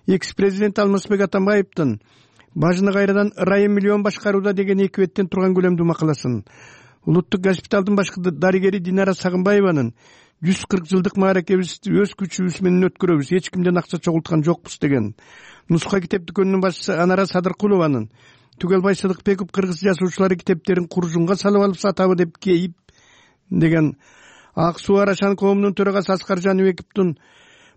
Экс-президент Алмазбек Атамбаевдин бажыны кайрадан райым миллион башкарууда деген 2 беттен турган көлөмдүү макаласын, улуттук госпиталдын башкы дарыгери Динара Сагынбаеванын 140 жылдык мааракебизди өз күчүбүз менен өткөрөбүз, эч кимден акча чогулткан жокпуз деген, нуска китеп дүкөнүнүн башчысы Анара Садыркулованын Түгелбай Сыдыкбеков кыргыз жазуучулары китептерин куржунга салып алып сатабы деп кейип деген, Ак Суу Арашан коомунун төрагасы Аскар Жаныбековдун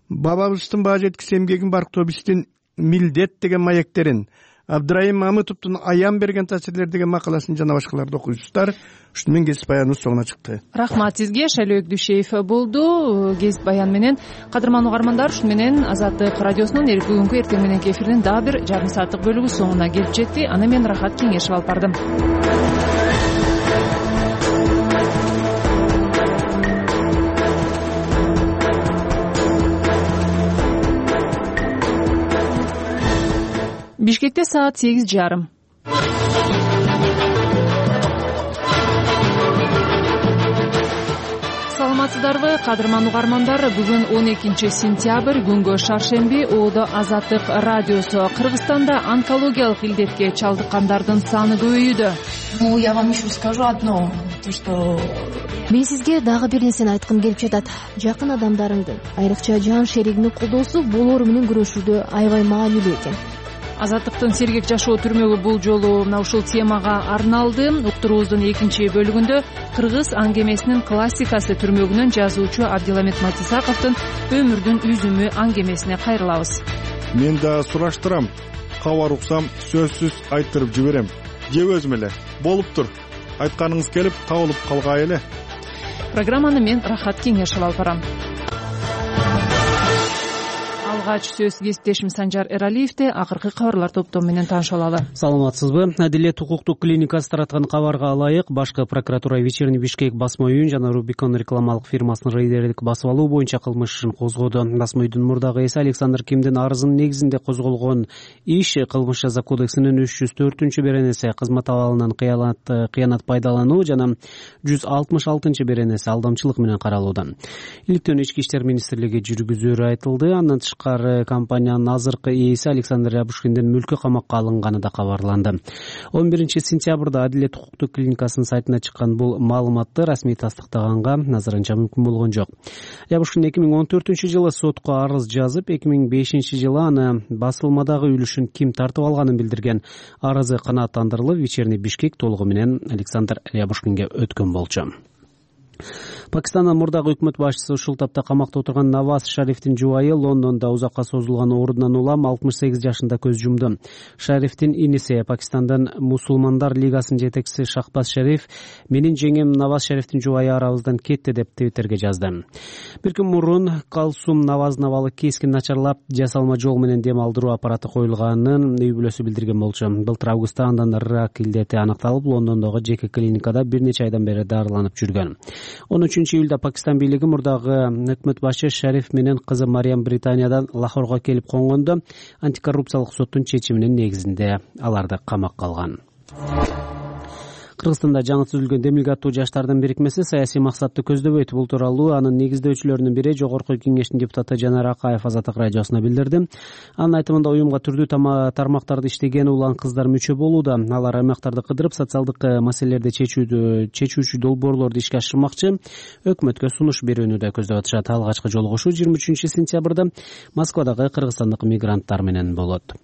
бабабыздын баа жеткис эмгегин барктоо биздин милдет деген маектерин, Абдрайым Мамытовдун Аян берген таасирлер деген макаласын жана башкаларды окуйсуздар. Ушуну менен кесип баяныбыз соңуна чыкты. Рахмат сизге. Шайлөөк Дүйшеев болду кесип баян менен. Кадырман угармандар, ушу менен Азаттык радиосунун бүгүнкү эртең мененки эфиринин дагы бир жарым сааттык бөлүгү соңуна келип жетти. Аны мен Рахат Кеңешев алып бардым. Бишкекте саат 8:30. Саламатсыздарбы, кадырман угармандар? Бүгүн 12 сентябрь, күнгө шаршемби. Оодо Азаттык радиосу. Кыргызстанда онкологиялык илдетке чалдыккандардын саны көбөйүүдө. Я вам еще скажу одно, то что мен сизге дагы бир нерсени айткым келип жатат. Жакын адамдарыңдын, айрыкча жан шеригиңдин колдоосу болоору менен күрөшүүдө аябай маанилүү экен. Азаттыктын сергек жашоо түрмөгү бул жолу мына ушул темага арналды. Уктуруубуздун экинчи бөлүгүндө кыргыз аңгемесинин классикасы түрмөгүнөн жазуучу Абдиламет Матисаковдун өмүрдүн үзүмү аңгемесине кайрылабыз. Мен да сураштырам. Кабар уксам сөзсүз айттырып жиберем. Же өзүм эле болуптур. Айтканыңыз келип табылып калгай эле. Программаны мен Рахат Кеңешев алып барам. Алгач сөз кесиптешим Санжар Эралиевде. Акыркы кабарлар топтому менен таанышып алалы. Саламатсызбы? Адилет укуктук клиникасы тараткан кабарга ылайык башкы прокуратура Вечерний Бишкек басма үйүн жана Рубикон рекламалык фирмасынын рейдерлик басып алуу боюнча кылмыш ишин козгоду. Басма үйдүн мурдагы ээси Александр Кимдин арызынын негизинде козголгон иш кылмыш жаза кодексинин 304-беренеси кызмат абалынан кыянат пайдалануу жана 166-беренеси алдамчылык менен каралууда. Иликтөөнү Ички иштер министрлиги жүргүзөөрү айтылды. Андан компаниянын азыркы ээси Александр Рябушкиндин мүлкү камакка алынганы да кабарланды. 11 сентябрда Адилет укуктук клиникасынын сайтына чыккан бул маалыматты расмий тастыктаганга азырынча мүмкүн болгон жок. Рябушкин 2014-жылы сотко арыз жазып, 2005-жылы аны басылмадагы үлүшүн ким тартып алганын билдирген. Арызы канааттандырылып, Вечерний Бишкек толугу менен Александр Рябушкинге өткөн болчу. Пакистандын мурдагы өкмөт башчысы ушул тапта камакта отурган Наваз Шарифтин жубайы Лондондо узакка созулган оорунан улам 68 жашында көз жумду. Шарифтин иниси Пакистандын Мусулмандар лигасынын жетекчиси Шахбаз Шариф менин жеңем Наваз Шарифтин жубайы арабыздан кетти деп Твиттерге жазды. Бир күн мурун Калсум Наваздын абалы кескин начарлап, жасалма жол менен дем алдыруу аппараты коюлганын үй бүлөсү билдирген болчу. Былтыр августта андан рак илдети аныкталып, Лондондогу жеке клиникада бир нече айдан бери дарыланып жүргөн. 13-июлда Пакистан бийлиги мурдагы өкмөт башчы Шариф менен кызы Мариям Британиядан Лахорго келип конгондо антикоррупциялык соттун чечиминин негизинде аларды камакка алган. Кыргызстанда жаңы түзүлгөн Демилге аттуу жаштардын бирикмеси саясий максатты көздөбөйт. Бул тууралуу анын негиздөөчүлөрүнүн бири Жогорку Кеңештин депутаты Жанар Акаев Азаттык радиосуна билдирди. Анын айтымында уюмга түрдүү тармактарда иштеген улан кыздар мүчө болууда. Алар аймактарды кыдырып, социалдык маселелерди чечүүчү долбоорлорду ишке ашырмакчы, өкмөткө сунуш берүүнү да көздөп атышат. Алгачкы жолугушуу 23 сентябрда Москвадагы кыргызстандык мигранттар менен болот.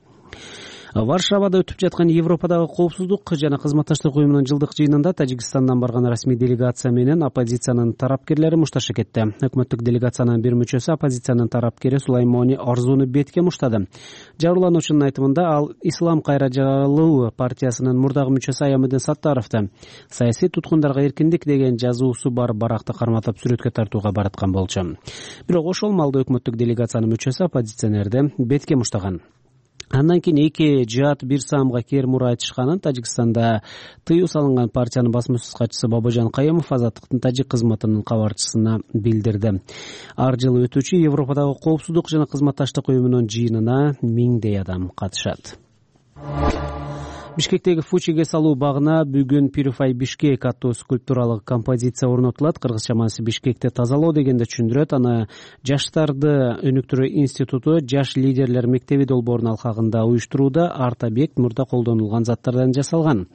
Варшавада өтүп жаткан Европадагы коопсуздук жана кызматташтык уюмунун жылдык жыйынында Тажикстандан барган расмий делегация менен оппозициянын тарапкерлери мушташа кетти. Өкмөттүк делегациянын бир мүчөсү оппозициянын тарапкери Сулаймони Орзуну бетке муштады. Жабырлануучунун айтымында ал Ислам кайра жаралуу партиясынын мурдагы мүчөсү Аямедин Саттаровду саясий туткундарга эркиндик деген жазуусу бар баракты карматып сүрөткө тартууга бараткан болчу. Бирок ошол маалда өкмөттүк делегациянын мүчөсү оппозиционерди бетке муштаган. Андан кийин эки жаат бир саамга кер мура айтышканын Тажикстанда тыюу салынган партиянын басма-сөз катчысы Бабажан Кайымов Азаттыктын тажик кызматынын кабарчысына билдирди. Ар жылы өтүүчү Европадагы коопсуздук жана кызматташтык уюмунун жыйынына миңдей адам катышат. Бишкектеги Фучиге салуу багына бүгүн Purify Бишкек аттуу скульптуралык композиция орнотулат. Кыргызча маанisi Бишкекти тазалоо дегенди түшүндүрөт. Аны Жаштарды өнүктүрүү институту Жаш лидерлер мектеби долбоорунун алкагында уюштурууда. Арт объект мурда колдонулган заттардан жасалган.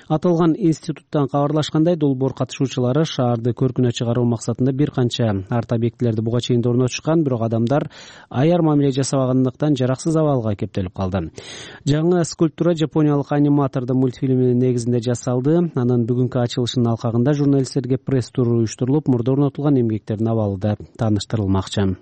Аталган институттан кабарлашкандай, долбоор катышуучулары шаарды көркүнө чыгаруу максатында бир канча арт объектилерди буга чейин орнотушкан, бирок адамдар аяр мамиле жасабагандыктан жараксыз абалга кептелип калды. Жаңы скульптура жапониялык аниматордун мультфильминин негизинде жасалды. Анын бүгүнкү ачылышынын алкагында журналисттерге пресс тур уюштурулуп, мурда орнотулган эмгектердин абалы да тааныштырылмакчы.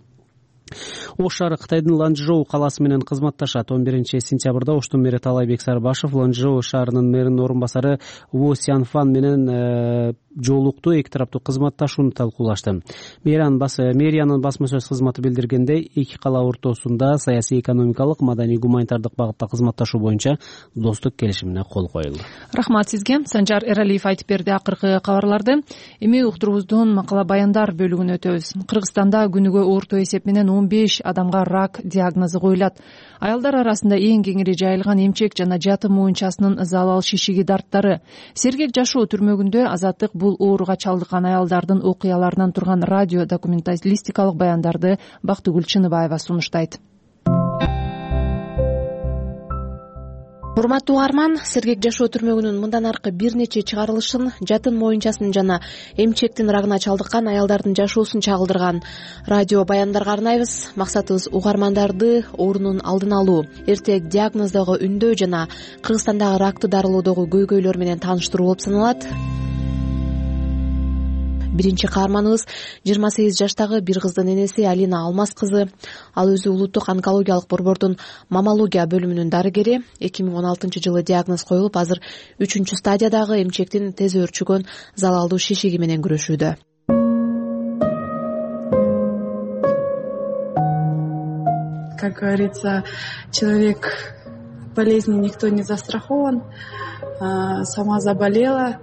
Ош шаары Кытайдын Ланчжоу калаасы менен кызматташат. 11-сентябрда Оштун мэри Талайбек Сарбашев Ланчжоу шаарынын мэринин орун басары Во Сянфан менен жолукту, эки тараптуу кызматташууну талкуулашты. Мэриянын басма сөз кызматы билдиргендей, эки кала ортосунда саясий, экономикалык, маданий, гуманитардык багытта кызматташуу боюнча достук келишимине кол коюлду. Рахмат сизге. Санжар Эралиев айтып берди акыркы кабарларды. Эми уктуруубуздун макала баяндар бөлүгүнө өтөбүз. Кыргызстанда күнүгө орто эсеп менен 15 адамга рак диагнозу коюлат. Аялдар арасында эң кеңири жайылган эмчек жана жатым моюнчасынын залал шишиги дарттары. Сергек жашоо түрмөгүндө Азаттык бул ооруга чалдыккан аялдардын окуяларынан турган радио документалистикалык баяндарды Бактыгүл Чыныбаева сунуштайт. Урматтуу угарман, Сергек жашоо түрмөгүнүн мындан аркы бир нече чыгарылышын жатын моюнчасын жана эмчектин рагына чалдыккан аялдардын жашоосун чагылдырган радио баяндарга арнайбыз. Максатыбыз угармандарды оорунун алдын алуу, эртең диагноздогу үндөө жана Кыргызстандагы ракты дарылоодогу көйгөйлөр менен тааныштыруу болуп саналат. Биринчи каарманыбыз 28 жаштагы бир кыздын энеси Алина Алмаз кызы. Ал өзү улуттук онкологиялык борбордун маммология бөлүмүнүн дарыгери. 2016-жылы диагноз коюлуп, азыр 3-чү стадиядагы эмчектин тез өөрчүгөн залалдуу шишиги менен күрөшүүдө. Как говорится, человек болезни никто не застрахован. Сама заболела,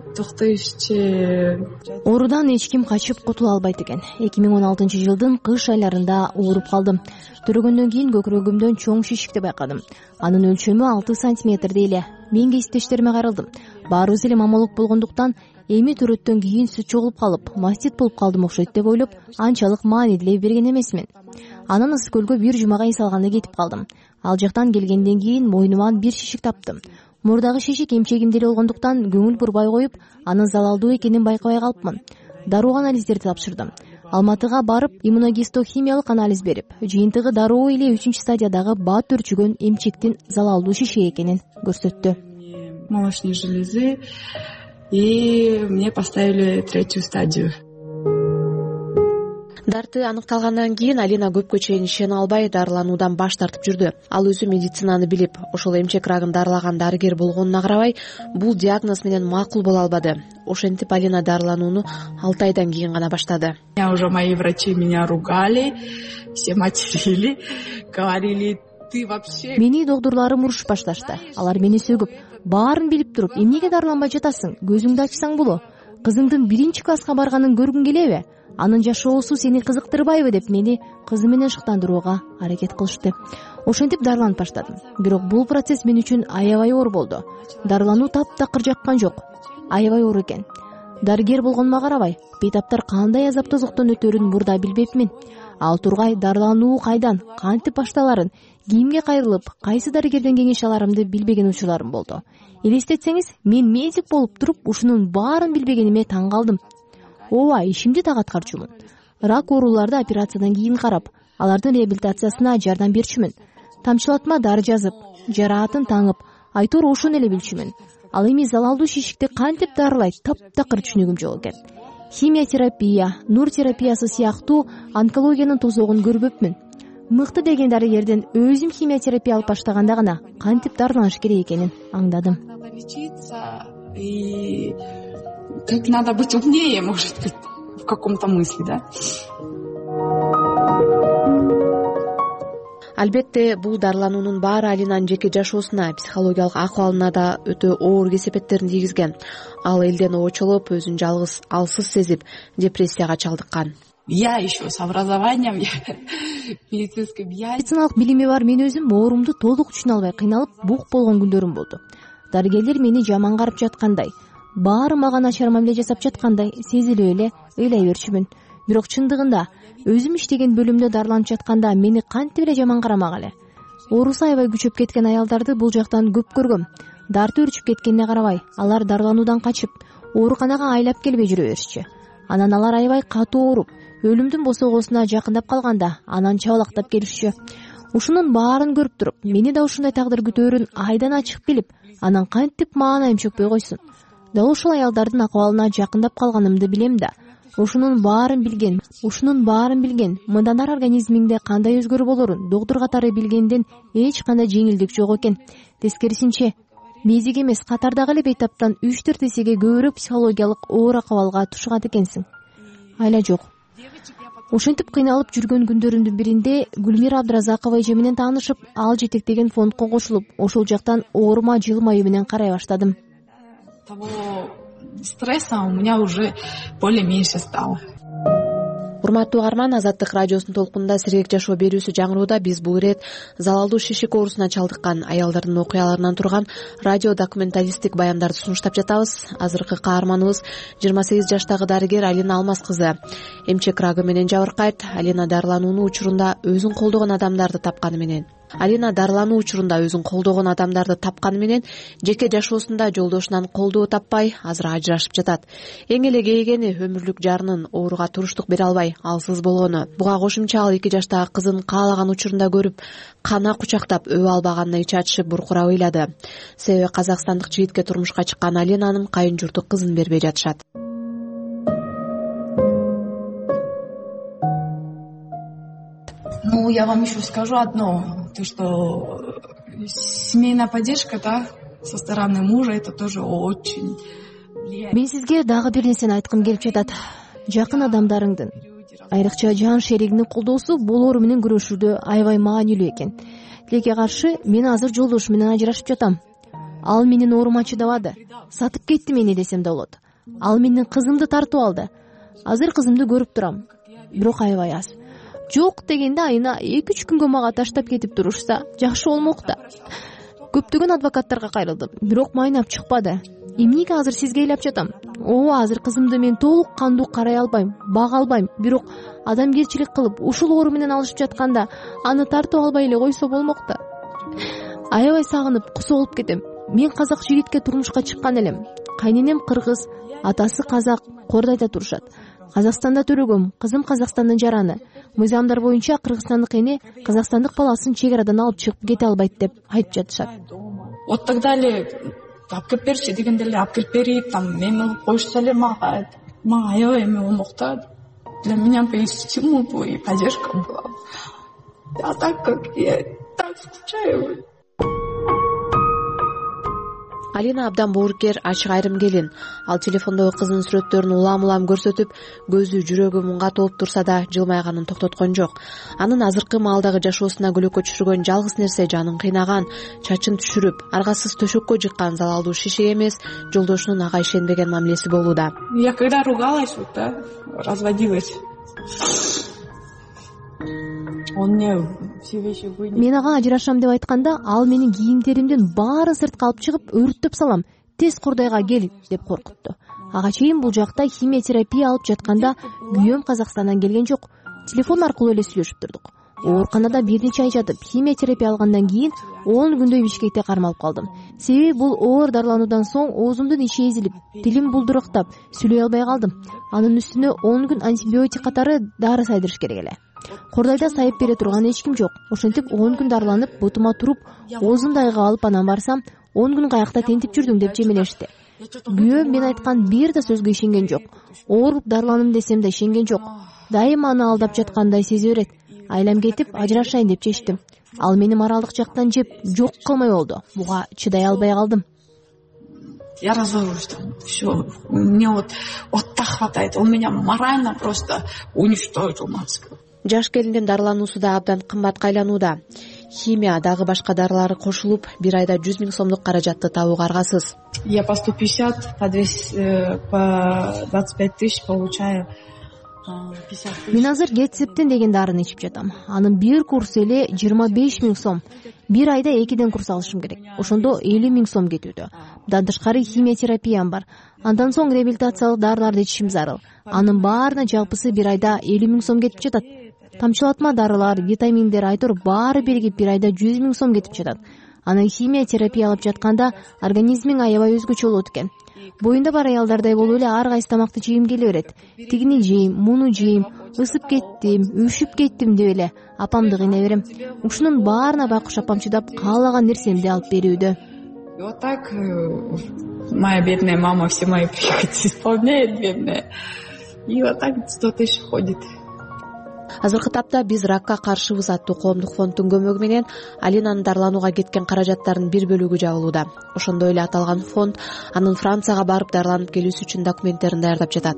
Оорудан эч ким качып кутула албайт экен. 2016-жылдын кыш айларында ооруп калдым. Төрөгөндөн кийин көкүрөгүмдөн чоң шишикти байкадым. Анын өлчөмү 6 сантиметрдей эле. Мен кесиптештериме кайрылдым. Баарыбыз эле маммолог болгондуктан эми төрөттөн кийин сүт чогулуп калып, мастит болуп калдым окшойт деп ойлоп, анчалык маанилүү берген эмесмин. Анан ысык көлгө бир жумага эс алганда кетип калдым. Ал жактан келгенден кийин мойнуман бир шишик таптым. Мурдагы шишик эмчегимде эле болгондуктан көңүл бурбай коюп, анын залалдуу экенин байкабай калыпмын. Дароо анализдерди тапшырдым. Алматыга барып, иммуногистохимиялык анализ берип, жыйынтыгы дароо эле 3-чү стадиядагы бат өрчүгөн эмчектин залалдуу шишик экенин көрсөттү. Молочной железы, и мне поставили 3-ю стадию. Дарты аныкталгандан кийин Алина көпкө чейин ишене албай дарылануудан баш тартып жүрдү. Ал өзү медицинаны билип, ошол эмчек рагын дарылаган дарыгер болгонуна карабай, бул диагноз менен макул боло албады. Ошентип Алина дарыланууну 6 айдан кийин гана баштады. Уже мои врачи меня ругали, все материли, говорили: ты вообще... Мени доктурларым урушуп башташты. Алар мени сөгүп, баарын билип туруп, эмнеге дарыланбай жатасың? Көзүңдү ачсаң боло. Кызыңдын 1-чи класска барганын көргүң келеби? Анын жашоосу сени кызыктырбайбы деп мени кызы менен шыктандырууга аракет кылышты. Ошентип дарыланып баштадым. Бирок бул процесс мен үчүн аябай оор болду. Дарылануу таптакыр жаккан жок. Аябай оор экен. Дарыгер болгонума карабай, бейтаптар кандай азап тозоктон өтөрүн мурда билбепмин. Ал тургай дарылануу кайдан, кантип башталарын, кимге кайрылып, кайсы дарыгерден кеңеш аларымды билбеген учурларым болду. Элестетсеңиз, мен медик болуп туруп, ушунун баарын билбегениме таң калдым. Ооба, ишимди так аткарчумун. Рак ооруларды операциядан кийин карап, алардын реабилитациясына жардам берчүмүн. Тамчылатма дары жазып, жараатын таңып, айтор ошону эле билчүмүн. Ал эми залалдуу шишикти кантип дарылайт, таптакыр түшүнүгүм жок экен. Химиотерапия, нур терапиясы сыяктуу онкологиянын тозогун көрбөпмүн. Мыкты деген дарыгерден өзүм химиотерапия алып баштаганда гана кантип дарыланыш керек экенин аңдадым. Как надо быть умнее, может быть, в каком-то смысле, да? Албетте, бул дарылануунун баары Алинанын жеке жашоосуна, психологиялык акыбалына да өтө оор кесепеттерин тийгизген. Ал элден очолуп, өзүн жалгыз, алсыз сезип, депрессияга чалдыккан. Я еще с образованием медицинским. Медициналык билими бар мен өзүм оорумду толук түшүнө албай кыйналып, бук болгон күндөрүм болду. Дарыгерлер мени жаман карап жаткандай, баары мага начар мамиле жасап жаткандай сезилип эле ыйлай берчүмүн. Бирок чындыгында өзүм иштеген бөлүмдө дарыланып жатканда мени кантип эле жаман карамак эле. Оорусу аябай күчөп кеткен аялдарды бул жактан көп көргөм. Дарты өрчүп кеткенине карабай, алар дарылануудан качып, ооруканага айлап келбей жүрө беришчү. Анан алар аябай катуу ооруп, өлүмдүн босогосуна жакындап калганда анан чабалактап келишчү. Ушунун баарын көрүп туруп, мени да ушундай тагдыр күтөөрүн айдан ачык билип, анан кантип маанайым чөкпөй койсун. Дал ушул аялдардын акыбалына жакындап калганымды билем да. ушунун баарын билген мындан ары организмиңде кандай өзгөрүү болорун доктур катары билгенден эч кандай жеңилдик жок экен. Тескерисинче мезиге эмес, катардагы эле бейтаптан 3-4 эсеге көбүрөөк психологиялык оор акыбалга тушкан экенсиң. Айла жок. Ошентип кыйналып жүргөн күндөрүмдүн биринде Гүлмира Абдыразакова эже менен таанышып, ал жетектеген фондко кошулуп, ошол жактан оорума жылмаюу менен карай баштадым. Того стресса у меня уже более-меньше стало. Урматтуу угарман, Азаттык радиосунун толкунунда сергек жашоо берүүсү жаңырууда. Биз бул ирет залалдуу шишик оорусуна чалдыккан аялдардын окуяларынан турган радио документалисттик баяндарды сунуштап жатабыз. Азыркы каарманыбыз 28 жаштагы дарыгер Алина Алмаз кызы. Эмчек рагы менен жабыркайт. Алина дарылануу учурунда өзүн колдогон адамдарды тапканы менен жеке жашоосунда жолдошунан колдоо таппай, азыр ажырашып жатат. Эң эле кейгени өмүрлүк жарынын ооруга туруштук бере албай алсыз болгону. Буга кошумча ал 2 жаштагы кызын каалаган учурунда көрүп, кана кучактап өбө албаганына ичи ачышып буркурап ыйлады. Себеби казакстандык жигитке турмушка чыккан Алинанын кайын журту кызын бербей жатышат. Ну, я вам еще скажу одно, то, что семейная поддержка, да, со стороны мужа, это тоже очень влияет. Мен сизге дагы бир нерсени айткым келип жатат. Жакын адамдарыңдын, айрыкча жан шеригиңдин колдоосу бул оору менен күрөшүүдө аябай маанилүү экен. Тилекке каршы, мен азыр жолдошум менен ажырашып жатам. Ал менин оорума чыдабады. Сатып кетти мени десем да болот. Ал менин кызымды тартып алды. Азыр кызымды көрүп турам, бирок аябай аз. Жок дегенде айына 2-3 күнгө мага таштап кетип турушса, жакшы болмок да. Көптөгөн адвокаттарга кайрылдым, бирок майнап чыкпады. Эмнеге азыр сизге ыйлап жатам? Ооба, азыр кызымды мен толук кандуу карай албайм, бага албайм, бирок адамгерчилик кылып, ушул оору менен алышып жатканда аны тартып албай эле койсо болмок да. Аябай сагынып, кусу болуп кетем. Мен казак жигитке турмушка чыккан элем. Кайненем кыргыз, атасы казак, Кордайда турушат. Казакстанда төрөгөм, кызым Казакстандын жараны. Мыйзамдар боюнча кыргызстандык эне казакстандык баласын чек арадан алып чыгып кете албайт деп айтып жатышат. Вот тогда эле алып келип берчи дегенде эле алып келип берип, там мени коюшса эле мага аябай эме болмок да. Для меня бы и стимул был, и поддержка была. А так как я так скучаю. Алина абдан боорукер, ачык айрым келин. Ал телефондогу кызынын сүрөттөрүн улам көрсөтүп, көзү жүрөгү мунга толуп турса да жылмайганын токтоткон жок. Анын азыркы маалдагы жашоосуна көлөкө түшүргөн жалгыз нерсе жанын кыйнаган, чачын түшүрүп, аргасыз төшөккө жыккан залалдуу шишик эмес, жолдошунун ага ишенбеген мамилеси болууда. Я когда ругалась, вот, да, разводилась. Мен ага ажырашам деп айтканда, ал менин кийимдеримдин баарын сыртка алып чыгып, өрттөп салам. Тез Кордойго кел деп коркутту. Ага чейин бул жакта химия терапия алып жатканда күйөөм Казакстандан келген жок. Телефон аркылуу эле сүйлөшүп турдук. Ооруканада бир нече ай жатып, химия терапия алгандан кийин 10 күндөй Бишкекте кармалып калдым. Себеби бул оор дарылануудан соң оозумдун ичи эзилип, тилим булдурактап, сүйлөй албай калдым. Анын үстүнө 10 күн антибиотик катары дары сайдырыш керек эле. Кордойдо сайып бере турган эч ким жок. Ошентип 10 күн дарыланып, бутума туруп, оозумду айга алып анан барсам, 10 күн каякта тентип жүрдүң деп жемелешти. Күйөөм мен айткан бир да сөзгө ишенген жок. Ооруп дарыланым десем да ишенген жок. Дайыма аны алдап жаткандай сезе берет. Айлам кетип, ажырашайын деп чечтим. Ал мени моралдык жактан жеп, жок кылмай болду. Буга чыдай албай калдым. Я разорюсь там, все. Мне вот так хватает. Он меня морально просто уничтожил, мамского. Жаш келиндин дарылануусу да абдан кымбатка айланууда. Химия дагы башка дарылары кошулуп, бир айда 100 000 сомдук каражатты табууга аргасыз. Я по 150, по 25 тысяч получаю. Мен азыр Гетсептин деген дарыны ичип жатам. Анын бир курсу эле 25 000 сом. Бир айда 2 курс алышым керек. Ошондо 50 000 сом кетүүдө. Мындан тышкары химия терапиям бар. Андан соң реабилитациялык дарыларды ичишим зарыл. Анын баарына жалпысы бир айда 50 000 сом кетип жатат. Тамчылатма дарылар, витаминдер, айтор баары биригип бир айда 100 000 сом кетип жатат. Анан химия терапия алып жатканда организмиң аябай өзгөчө болот экен. Боюнда бар аялдардай болуп эле ар кайсы тамакты жейим келе берет. Тигини жейм, муну жейм, ысып кеттим, үшүп кеттим деп эле апамды кыйнай берем. Ушунун баарына байкуш апам чыдап, каалаган нерсемди алып берүүдө. И вот так моя бедная мама все мои прихоти исполняет, бедная. И вот так кто-то еще ходит. Азыркы тапта биз ракка каршыбыз аттуу коомдук фонддун көмөгү менен Алинанын дарыланууга кеткен каражаттардын бир бөлүгү жабылууда. Ошондой эле аталган фонд анын Францияга барып дарыланып келүүсү үчүн документтерин даярдап жатат.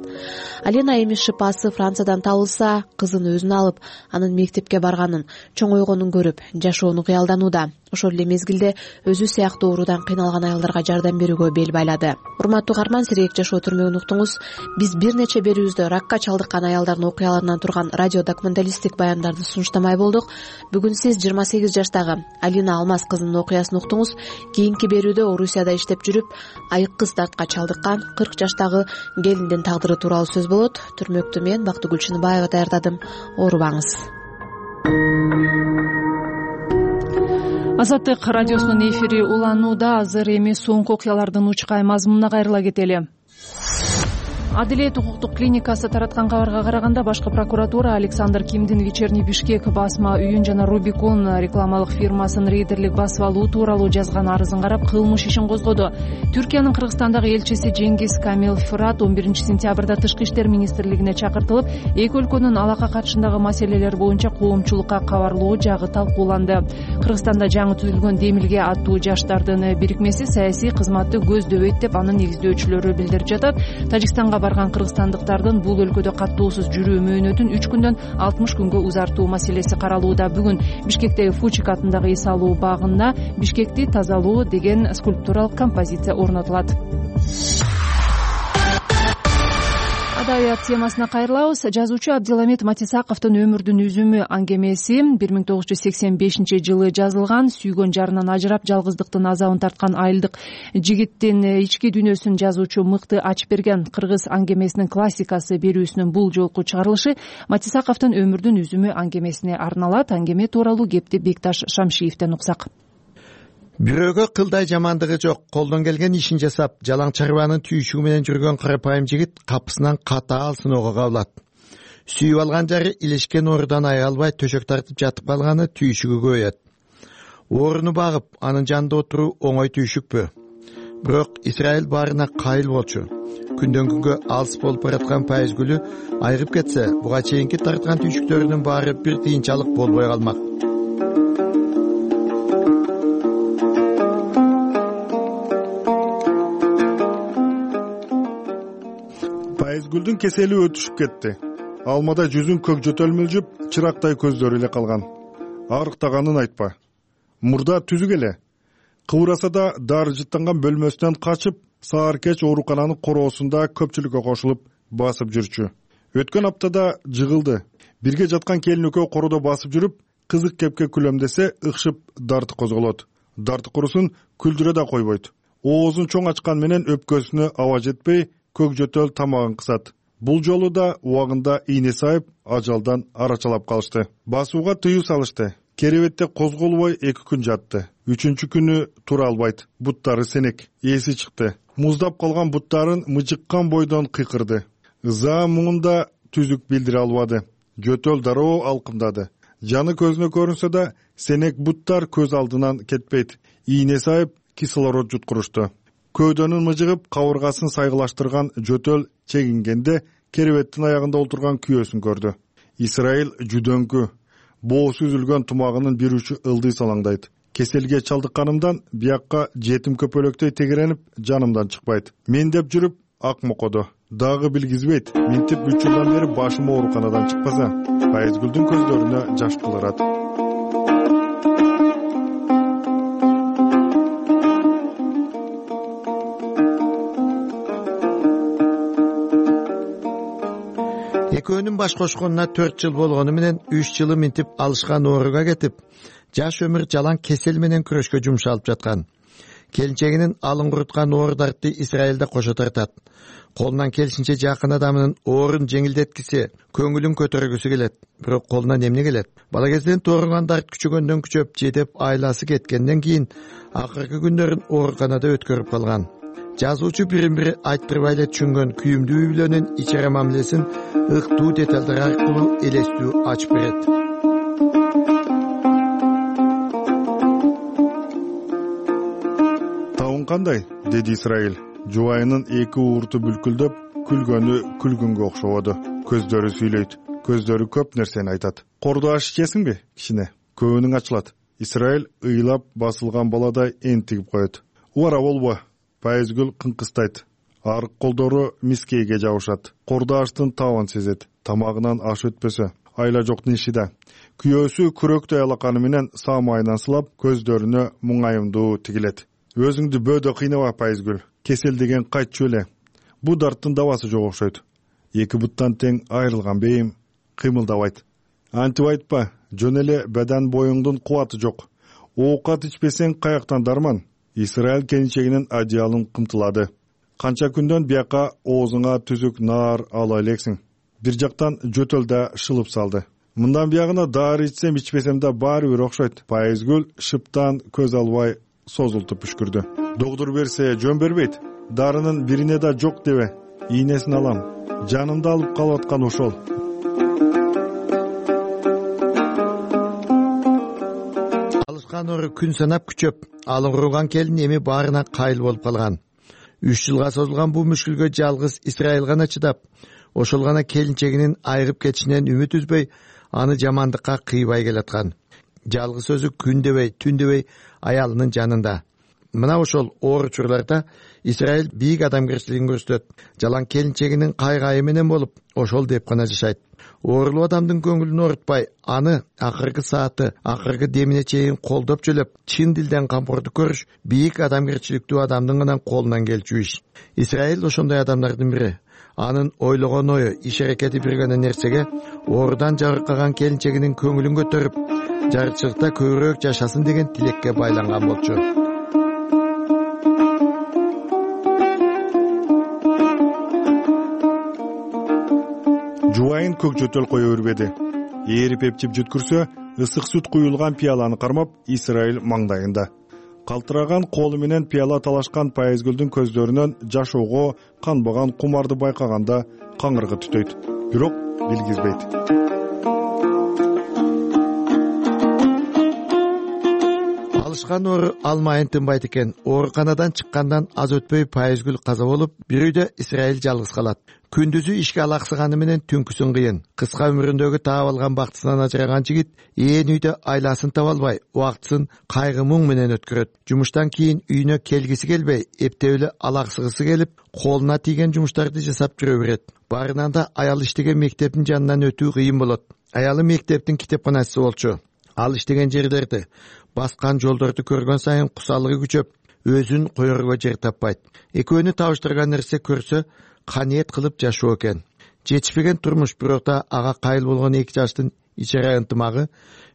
Алина эми шипасы Франциядан табылса, кызын өзүнө алып, анын мектепке барганын, чоңойгонун көрүп, жашоону кыялданууда. Ошол эле мезгилде өзү сыяктуу оорудан кыйналган аялдарга жардам берүүгө бел байлады. Урматтуу угарман, сирээк жашоо түрмөгүн уктуңуз. Биз бир нече берүүбүздө ракка чалдыккан аялдардын окуяларынан турган радио документалисттик баяндарды сунуштамай болдук. Бүгүн сиз 28 жаштагы Алина Алмаз кызынын окуясын уктуңуз. Кийинки берүүдө Орусияда иштеп жүрүп, айык кыз дартка чалдыккан 40 жаштагы келиндин тагдыры тууралуу сөз болот. Түрмөктү мен Бактыгүл Чыныбаева даярдадым. Оорубаңыз. Азаттык радиосунун эфири уланууда. Азыр эми соңку окуялардын учкай мазмунуна кайрыла кетели. Адилет укуктук клиникасы тараткан кабарга караганда, башкы прокуратура Александр Кимдин Вечерний Бишкек басма үйүн жана Рубикон рекламалык фирмасын рейдерлик басып алуу тууралуу жазган арызын карап, кылмыш ишин козгоду. Түркиянын Кыргызстандагы элчиси Жеңгиз Камил Фырат 11-сентябрда Тышкы иштер министрлигине чакыртылып, эки өлкөнүн алака катышындагы маселелер боюнча коомчулукка кабарлоо жагы талкууланды. Кыргызстанда жаңы түзүлгөн Демилге аттуу жаштардын бирикмеси саясий кызматты көздөбөйт деп анын негиздөөчүлөрү билдирип жатат. Тажикстанга барган кыргызстандыктардын бул өлкөдө каттоосуз жүрүү мөөнөтүн 3 күндөн 60 күнгө узартуу маселеси каралууда. Бүгүн Бишкектеги Фучик атындагы эс алуу багында Бишкекти тазалоо деген скульптуралык композиция орнотулат. Адабият темасына кайрылабыз. Жазуучу Абдиламет Матисаковдун өмүрдүн үзүмү аңгемеси 1985-жылы жазылган. Сүйгөн жарынан ажырап, жалгыздыктын азабын тарткан айылдык жигиттин ички дүйнөсүн жазуучу мыкты ачып берген кыргыз аңгемесинин классикасы берүүсүнүн бул жолку чыгарылышы Матисаковдун өмүрдүн үзүмү аңгемесине арналат. Аңгеме тууралуу кепти Бекташ Шамшиевден уксак. Бирөөгө кылдай жамандыгы жок, колдон келген ишин жасап, жалаң чарбанын түйшүгү менен жүргөн карапайым жигит капысынан катаал сыноого кабылат. Сүйүп алган жары илешкен оорудан ая албай төшөк тартып жатып калганы түйшүгү көбөйөт. Ооруну багып, анын жанында отуруу оңой түйшүкпү? Бирок Израиль баарына кайыл болчу. Күндөн күнгө алыс болуп бараткан пайыз гүлү айрып кетсе, буга чейинки тарткан түйшүктөрүнүн баары бир тыйынчалык болбой калмак. Пайызгүлдүн кесели өтүшүп кетти. Алмада жүзүн көк жөтөл мүлжүп, чырактай көздөрү эле калган. Арыктаганын айтпа. Мурда түзүк эле. Кыбыраса да дары жыттанган бөлмөсүнөн качып, саар кеч оорукананын короосунда көпчүлүккө кошулуп басып жүрчү. Өткөн аптада жыгылды. Бирге жаткан келин экөө коrodо басып жүрүп, кызык кепке күлөмдесе ыкшып дарты козголот. Дарты курусун күлдүрө да койбойт. Оозун чоң ачкан менен өпкөсүнө аба жетпей, көк жөтөл тамагын кысат. Бул жолу да убагында ийне сайып, ажалдан арачалап калышты. Басууга тыюу салышты. Керебетте козголбой 2 күн жатты. 3-чү күнү тура албайт. Буттары сенек. Эси чыкты. Муздап калган буттарын мыжыккан бойдон кыйкырды. Ыза муңунда түзүк билдире албады. Жөтөл дароо алкымдады. Жаны көзүнө көрүнсө да, сенек буттар көз алдынан кетпейт. Ийне сайып, кислород жуткурушту. Көөдөнүн мыжыгып, кабыргасын сайгылаштырган жөтөл чегингенде керебеттин аягында олтурган күйөөсүн көрдү. Израиль жүдөңкү. Боосу үзүлгөн тумагынын бир учу ылдый салаңдайт. Кеселге чалдыкканымдан биякка жетим көпөлөктөй тегеренип, жанымдан чыкпайт. Мен деп жүрүп, ак мокодо. Дагы билгизбейт. Минтип 3 жылдан бери башым ооруканадан чыкпаса, Пайызгүлдүн көздөрүнө жаш кылдырат. Экөөнүн баш кошконуна 4 жыл болгону менен 3 жылы минтип алышкан ооруга кетип, жаш өмүр жалаң кесел менен күрөшкө жумшалып жаткан. Келинчегинин алын куруткан оор дартты Израилде кошо тартат. Колунан келишинче жакын адамынын оорун жеңилдеткиси, көңүлүн көтөргүсү келет. Бирок колунан эмне келет? Бала кезден тоорунган дарт күчөгөндөн күчөп, жетеп айласы кеткенден кийин акыркы күндөрүн ооруканада өткөрүп калган. Жазуучу бирин-бири айттырбай эле түшүнгөн күйүмдүү үй бүлөнүн ичере мамилесин ыктуу деталдар аркылуу элестүү ачып берет. Табың кандай? Деди Израиль. Жубайынын 2 уурту бүлкүлдөп, күлгөнү күлгүнгө окшободу. Көздөрү сүйлөйт, көздөрү көп нерсени айтат. Кордо аш ичесиңби? Кичине көбүнүң ачылат. Израиль ыйлап басылган баладай энтигип коет. Убара болбо. Пайызгүл кыңкыстайт. Арык колдору мискейге жабышат. Кордоаштын табын сезет. Тамагынан аш өтпөсө айла жок нишида. Күйөөсү күрөктөй алаканы менен саамайынан сылап, көздөрүнө муңайымдуу тигилет. Өзүңдү бөөдө кыйнава, Пайызгүл. Кесел деген кайтчу эле. Бу дарттын дабасы жок окшойт. Эки буттан тең айрылган бейим кыймылдабайт. Антип айтпа, жөн эле бадан боюңдун кубаты жок. Оокат ичпесең каяктан дарман? Израиль келинчегинин одеялын кымтылады. Канча күндөн бияка оозуңа түзүк наар ала элексиң. Бир жактан жөтөл да шылып салды. Мындан биягына дары ичсем ичпесем да баары бир окшойт. Пайызгүл шыптан көз албай созултуп үшкүрдү. Доктор берсе жөн бербейт. Дарынын бирине да жок дебе. Ийнесин алам. Жанымды алып калып аткан ошол. Алышкан ору күн санап күчөп, алыңгырган келин эми баарына кайыл болуп калган. 3 жылга созулган бул мүшкүлгө жалгыз Израиль гана чыдап, ошол гана келинчегинин айрып кетишинен үмүт үзбөй, аны жамандыкка кыйбай келаткан. Жалгыз өзү күн дебей, түн дебей аялынын жанында. Мына ошол оор учурларда Израиль бийик адамгерчилигин көрсөтөт. Жалаң келинчегинин кайгайы менен болуп, ошол деп гана жашайт. Оорулуу адамдын көңүлүн оорутпай, аны акыркы сааты, акыркы демине чейин колдоп жөлөп, чын дилден кампорду көрүш бийик адамгерчиликтүү адамдын гана колунан келчү иш. Израиль ошондой адамдардын бири. Анын ойлогон ою, иш-аракети бир гана нерсеге, оорудан жабыркаган келинчегинин көңүлүн көтөрүп, жарычылыкта көбүрөөк жашасын деген тилекке байланган болчу. Жубайын көк жөтөл кое бербеди. Ээрип эптип жүткүрсө, ысык сүт куюлган пияланы кармап, Израиль маңдайында. Калтыраган колу менен пияла талашкан Пайызгүлдүн көздөрүнөн жашоого канбаган кумарды байкаганда каңыргы түтөйт. Бирок билгизбейт. Алышкан оору алмайын тынбайт экен. Ооруканадан чыккандан аз өтпөй Пайызгүл каза болуп, бир үйдө Израиль жалгыз калат. Күндүзү ишке алаксыганы менен түнкүсүн кыйын. Кыска өмүрүндөгү таап алган бактысынан ажыраган жигит ээн үйдө айласын таба албай, убактысын кайгы муң менен өткөрөт. Жумуштан кийин үйүнө келгиси келбей, эптеп эле алаксыгысы келип, колуна тийген жумуштарды жасап жүрө берет. Баарынан да аял иштеген мектептин жанынан өтүү кыйын болот. Аялы мектептин китепканачысы болчу. Ал иштеген жерлерди, баскан жолдорду көргөн сайын кусалыгы күчөп, өзүн коерго жер таппайт. Экөөнү табыштырган нерсе көрсө, каниет кылып жашоо экен. Жетишпеген турмуш, бирок да ага кайыл болгон эки жаштын ичара ынтымагы,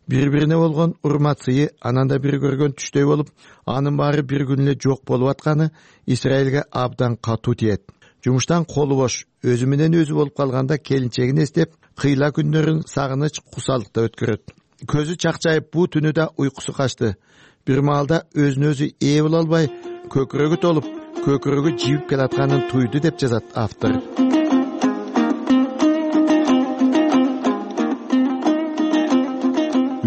бири-бирине болгон урмат сыйы анан да бир көргөн түштөй болуп, анын баары бир күн эле жок болуп атканы Израилге абдан катуу тиет. Жумуштан колу бош, өзү менен өзү болуп калганда келинчегин эстеп, кыйла күндөрүн сагыныч, кусалыкта өткөрөт. Көзү чакчайып, бу түнү да уйкусу качты. Бир маалда өзүнө өзү ээ боло албай, көкүрөгү толуп, көкүрөгү жибип келатканын туйду деп жазат автор.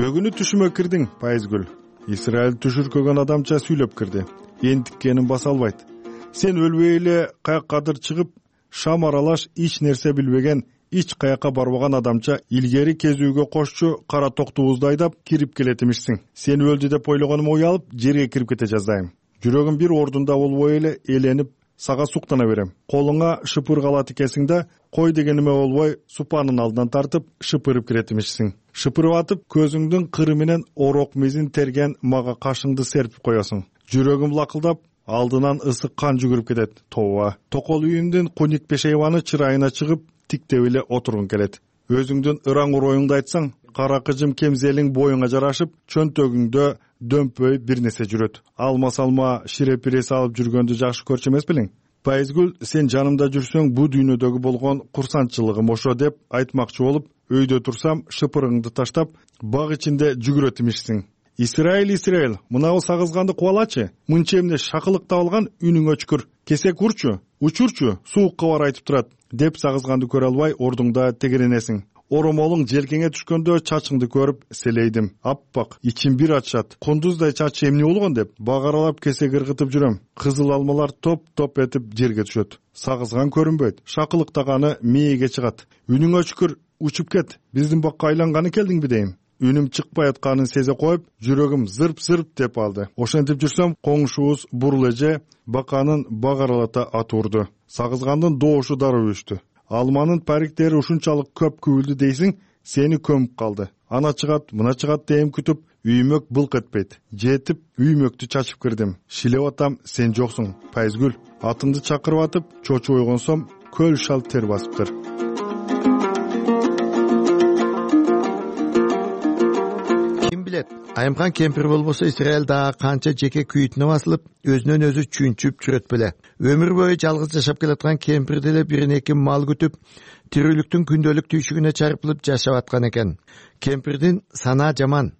Өгүнү түшүмө кирдиң, Пайызгүл. Израиль түшүркөгөн адамча сүйлөп кирди. Энтиккенин баса албайт. Сен өлбөй эле каяктадыр чыгып, шам аралаш эч нерсе билбеген, эч каякка барбаган адамча илгери кезүүгө кошчу кара токтубузду айдап кирип келет эмишсиң. Сен өлдү деп ойлогонум уялып, жерге кирип кете жаздайм. Жүрөгүм бир ордунда болбой эле эленип, сага суктана берем. Колуңа шыпыр калат экенсиң да, кой дегениме болбой, супанын алдынан тартып, шыпырып кирет эмишсиң. Шыпырып атып, көзүңдүн кыры менен орок мезин терген мага кашыңды серпип коесуң. Жүрөгүм лакылдап, алдынан ысык кан жүгүрүп кетет. Тооба. Токол үйүндүн куник пешейваны чырайына чыгып, тиктеп эле отургуң келет. Өзүңдүн ыран уроюңду айтсаң, кара кыжым кемзелиң боюңа жарашып, чөнтөгүңдө дөмпөй бир нерсе жүрөт. Алма-салма шире-пире салып жүргөндү жакшы көрчү эмес белең? Пайызгүл, сен жанымда жүрсөң, бу дүйнөдөгү болгон курсанчылыгым ошо деп айтмакчы болуп, өйдө турсам, шыпырыңды таштап, баг ичинде жүгүрөт эмишсиң. Израиль, мынабы сагызганды кубалачы. Мынча эмне шакылыктап алган үнүң өчкүр. Кесек урчу, учурчу, суукка бар айтып турат, деп сагызганды көрө албай ордуңда тегеренесиң. оромолуң желкеңе түшкөндө чачыңды көрүп селейдим. Аппак, ичим бир ачат. Кундуздай чач эмне болгон деп багаралап кесек ыргытып жүрөм. Кызыл алмалар топ-топ этип жерге түшөт. Сагызган көрүнбөйт. Шакылыктаганы мээге чыгат. Үнүңө шүкүр, учуп кет. Биздин бакка айланганы келдиңби дейм. Үнүм чыкпай атканын сезе коюп, жүрөгүм зырп-зырп деп алды. Ошентип жүрсөм, коңшубуз Бурул эже баканын багаралата атуурду. Сагызгандын доошу дароо өчтү. Алманын париктери ушунчалык көп күбүлдү дейсиң, сени көмүп калды. Ана чыгат, мына чыгат дейм күтүп, үймөк былк этпейт. Жетип, үймөктү чачып кирдим. Шилеп атам, сен жоксуң. Пайызгүл, атыңды чакырып атып, чочуп ойгонсом, көл шал тер басыптыр. Айымкан кемпир болбосо Израиль дагы канча жеке күйүтүнө басылып, өзүнөн өзү чүнчүп жүрөт беле. Өмүр бою жалгыз жашап келаткан кемпир деле бирин эки мал күтүп, тирүүлүктүн күндөлүк түйшүгүнө чарпылып жашап аткан экен. Кемпирдин санаа жаман,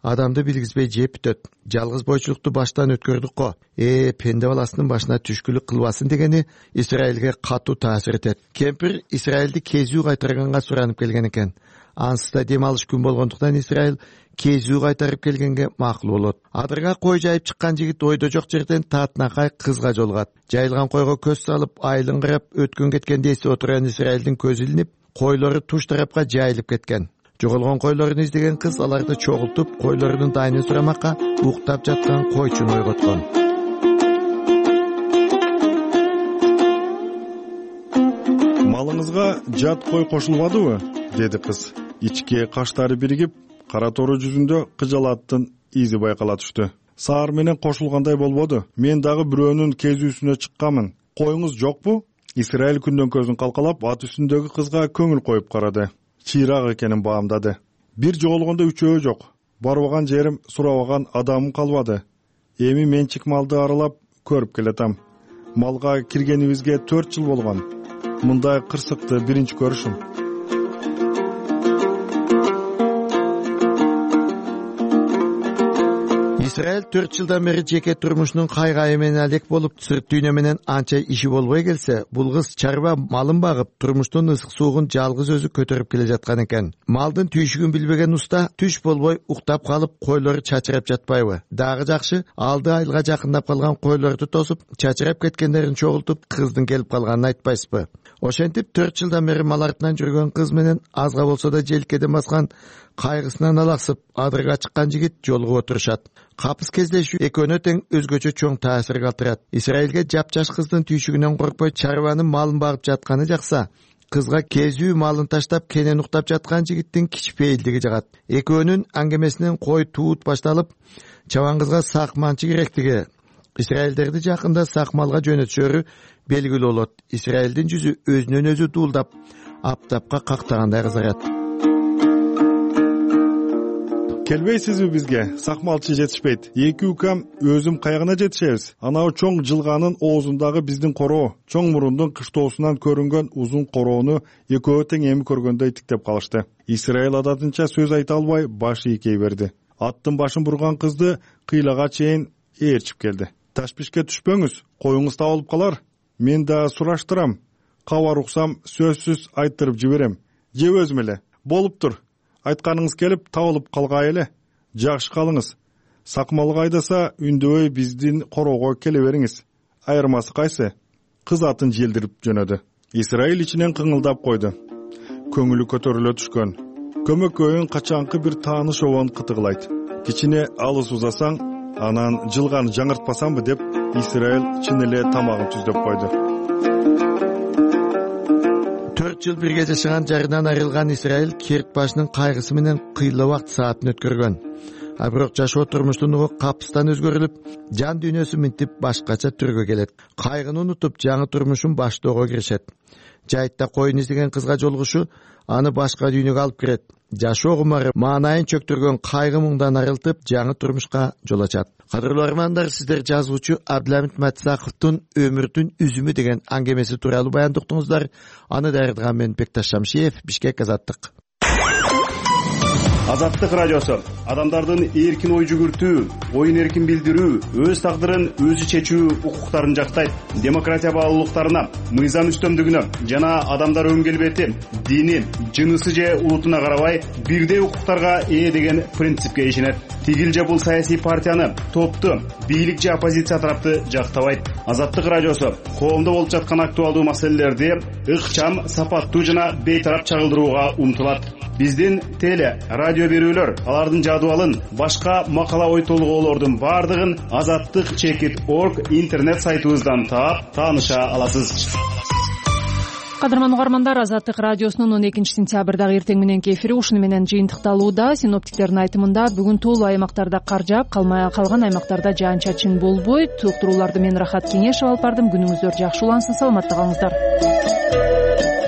адамды билгизбей жеп бүтөт. Жалгыз бойчулукту баштан өткөрдүк го. Пенде баласынын башына түшкүлүк кылбасын дегени Израилге катуу таасир этет. Кемпир Израилди кезүү кайтарганга суранып келген экен. Ансыз да дем алыш күн болгондуктан Израиль кезүү кайтарып келгенге макул болот. Адырга кой жайып чыккан жигит ойдо жок жерден таатнакай кызга жолугат. Жайылган койго көз салып, айылын карап, өткөн кеткенди эстеп отурган Израилдин көзү илинип, койлору туш тарапка жайылып кеткен. Жоголгон койлорун издеген кыз аларды чогултуп, койлорунун дайынын сурамакка уктап жаткан койчуну ойготкон. Малыңызга жат кой кошулбадыбы? Деди кыз. Ичке каштары биригип, кара тору жүзүндө кыжалаттын изи байкала түштү. Саар менен кошулгандай болбоду. Мен дагы бирөөнүн кезүүсүнө чыкканмын. Коюңуз жокпу? Израиль күндөн көзүн калкалап, ат үстүндөгү кызга көңүл коюп карады. Чыйраак экенин баамдады. Бир жоголгондо үчөө жок. Барбаган жерим, сурабаган адамым калбады. Эми менчик малды аралап көрүп келатам. Малга киргенибизге 4 жыл болгон. Мындай кырсыкты биринчи көрүшүм. Израиль 4 жылдан бери жеке турмушунун кайгайы менен алек болуп, сырт дүйнө менен анча иши болбой келсе, бул кыз чарба малын багып, турмуштун ысык суугун жалгыз өзү көтөрүп келе жаткан экен. Малдын түйшүгүн билбеген уста түш болбой уктап калып, койлору чачырап жатпайбы? Дагы жакшы, алды айылга жакындап калган койлорду тосуп, чачырап кеткендерин чогултуп, кыздын келип калганын айтпайсызбы? Ошентип 4 жылдан бери мал артынан жүргөн кыз менен азга болсо да желкеден баскан кайгысынан алаксып, адырга чыккан жигит жолугуп отурушат. Капыс кездешүү экөөнө тең өзгөчө чоң таасир калтырат. Израилге жапжаш кыздын түйшүгүнөн коркпой чарбанын малын багып жатканы жакса, кызга кезүү малын таштап кенен уктап жаткан жигиттин кичпейилдиги жагат. Экөөнүн аңгемесинен кой туут башталып, чабан кызга сак манчы керектиги, Израилдерди жакында сак малга жөнөтүшөрү белгилүү болот. Израилдин жүзү өзүнөн өзү дуулдап, аптапка кактагандай кызарат. Келбейсизби бизге? Сакмалчы жетишпейт. Эки укам өзүм каягына жетишебиз. Анау чоң жылганын оозундагы биздин короо, чоң мурундун кыштоосунан көрүнгөн узун короону экөө тең эми көргөндөй тиктеп калышты. Израиль адатынча сөз айта албай баш ийкей берди. Аттын башын бурган кызды кыйлага чейин ээрчип келди. Ташпишке түшпөңүз, коюңуз табылып калар. Мен да сураштырам. Кабар уксам сөзсүз айттырып жиберем. Же өзүм эле. Болуптур. Айтканыңыз келип табылып калгай эле. Жакшы калыңыз. Сакмалга айдаса үндөбөй биздин короого келе бериңиз. Айырмасы кайсы? Кыз атын желдирип жөнөдү. Израиль ичинен кыңылдап койду. Көңүлү көтөрүлө түшкөн. Көмөкөйүн качанкы бир тааныш обон кытыгылайт. Кичине алыс узасаң, анан жылган жаңыртпасамбы деп Израиль чын эле тамагын түздөп койду. 4 жыл бирге жашаган жарынан айрылган Израиль керт башынын кайгысы менен кыйла убакыт саатын өткөргөн. А бирок жашоо турмуштун угу капыстан өзгөрүлүп, жан дүйнөсү минтип башкача түргө келет. Кайгыны унутуп, жаңы турмушун баштоого киришет. Жайтта коюн издеген кызга жолугушу аны башка дүйнөгө алып кирет. Жашоо кумары маанайын чөктүргөн кайгы муңдан арылтып, жаңы турмушка жол ачат. Кадырлуу армандар, сиздер жазуучу Абдыламит Матисаковдун Өмүрдүн үзүмү деген аңгемеси тууралуу баяндыктыңыздар. Аны даярдаган мен Бекташ Шамшиев, Бишкек, Азаттык. Азаттык радиосу адамдардын эркин ой жүгүртүү, оюн эркин билдирүү, өз тагдырын өзү чечүү укуктарын жактайт. Демократия баалуулуктарына, мыйзам үстөмдүгүнө жана адамдар өн келбети, дини, жынысы же улутуна карабай бирдей укуктарга ээ деген принципке ишенет. Тигил же бул саясий партияны, топту, бийлик же оппозиция тарапты жактабайт. Азаттык радиосу коомдо болуп жаткан актуалдуу маселелерди ыкчам, сапаттуу жана бейтарап чагылдырууга умтулат. Биздин теле, радио берүүлөр, алардын жадыбалын, башка макала ой толгоолордун бардыгын azattik.org интернет сайтыбыздан таап, тааныша аласыз. Кадырман угармандар, Азаттык радиосунун 12-сентябрдагы эртең мененки эфири ушуну менен жыйынтыкталууда. Синоптиктердин айтымында бүгүн тоолуу аймактарда кар жаап, калган аймактарда жаан-чачын болбойт. Уктурууларды мен Рахат Кеңешева алып бардым. Күнүңүздөр жакшы улансын, саламатта калыңыздар.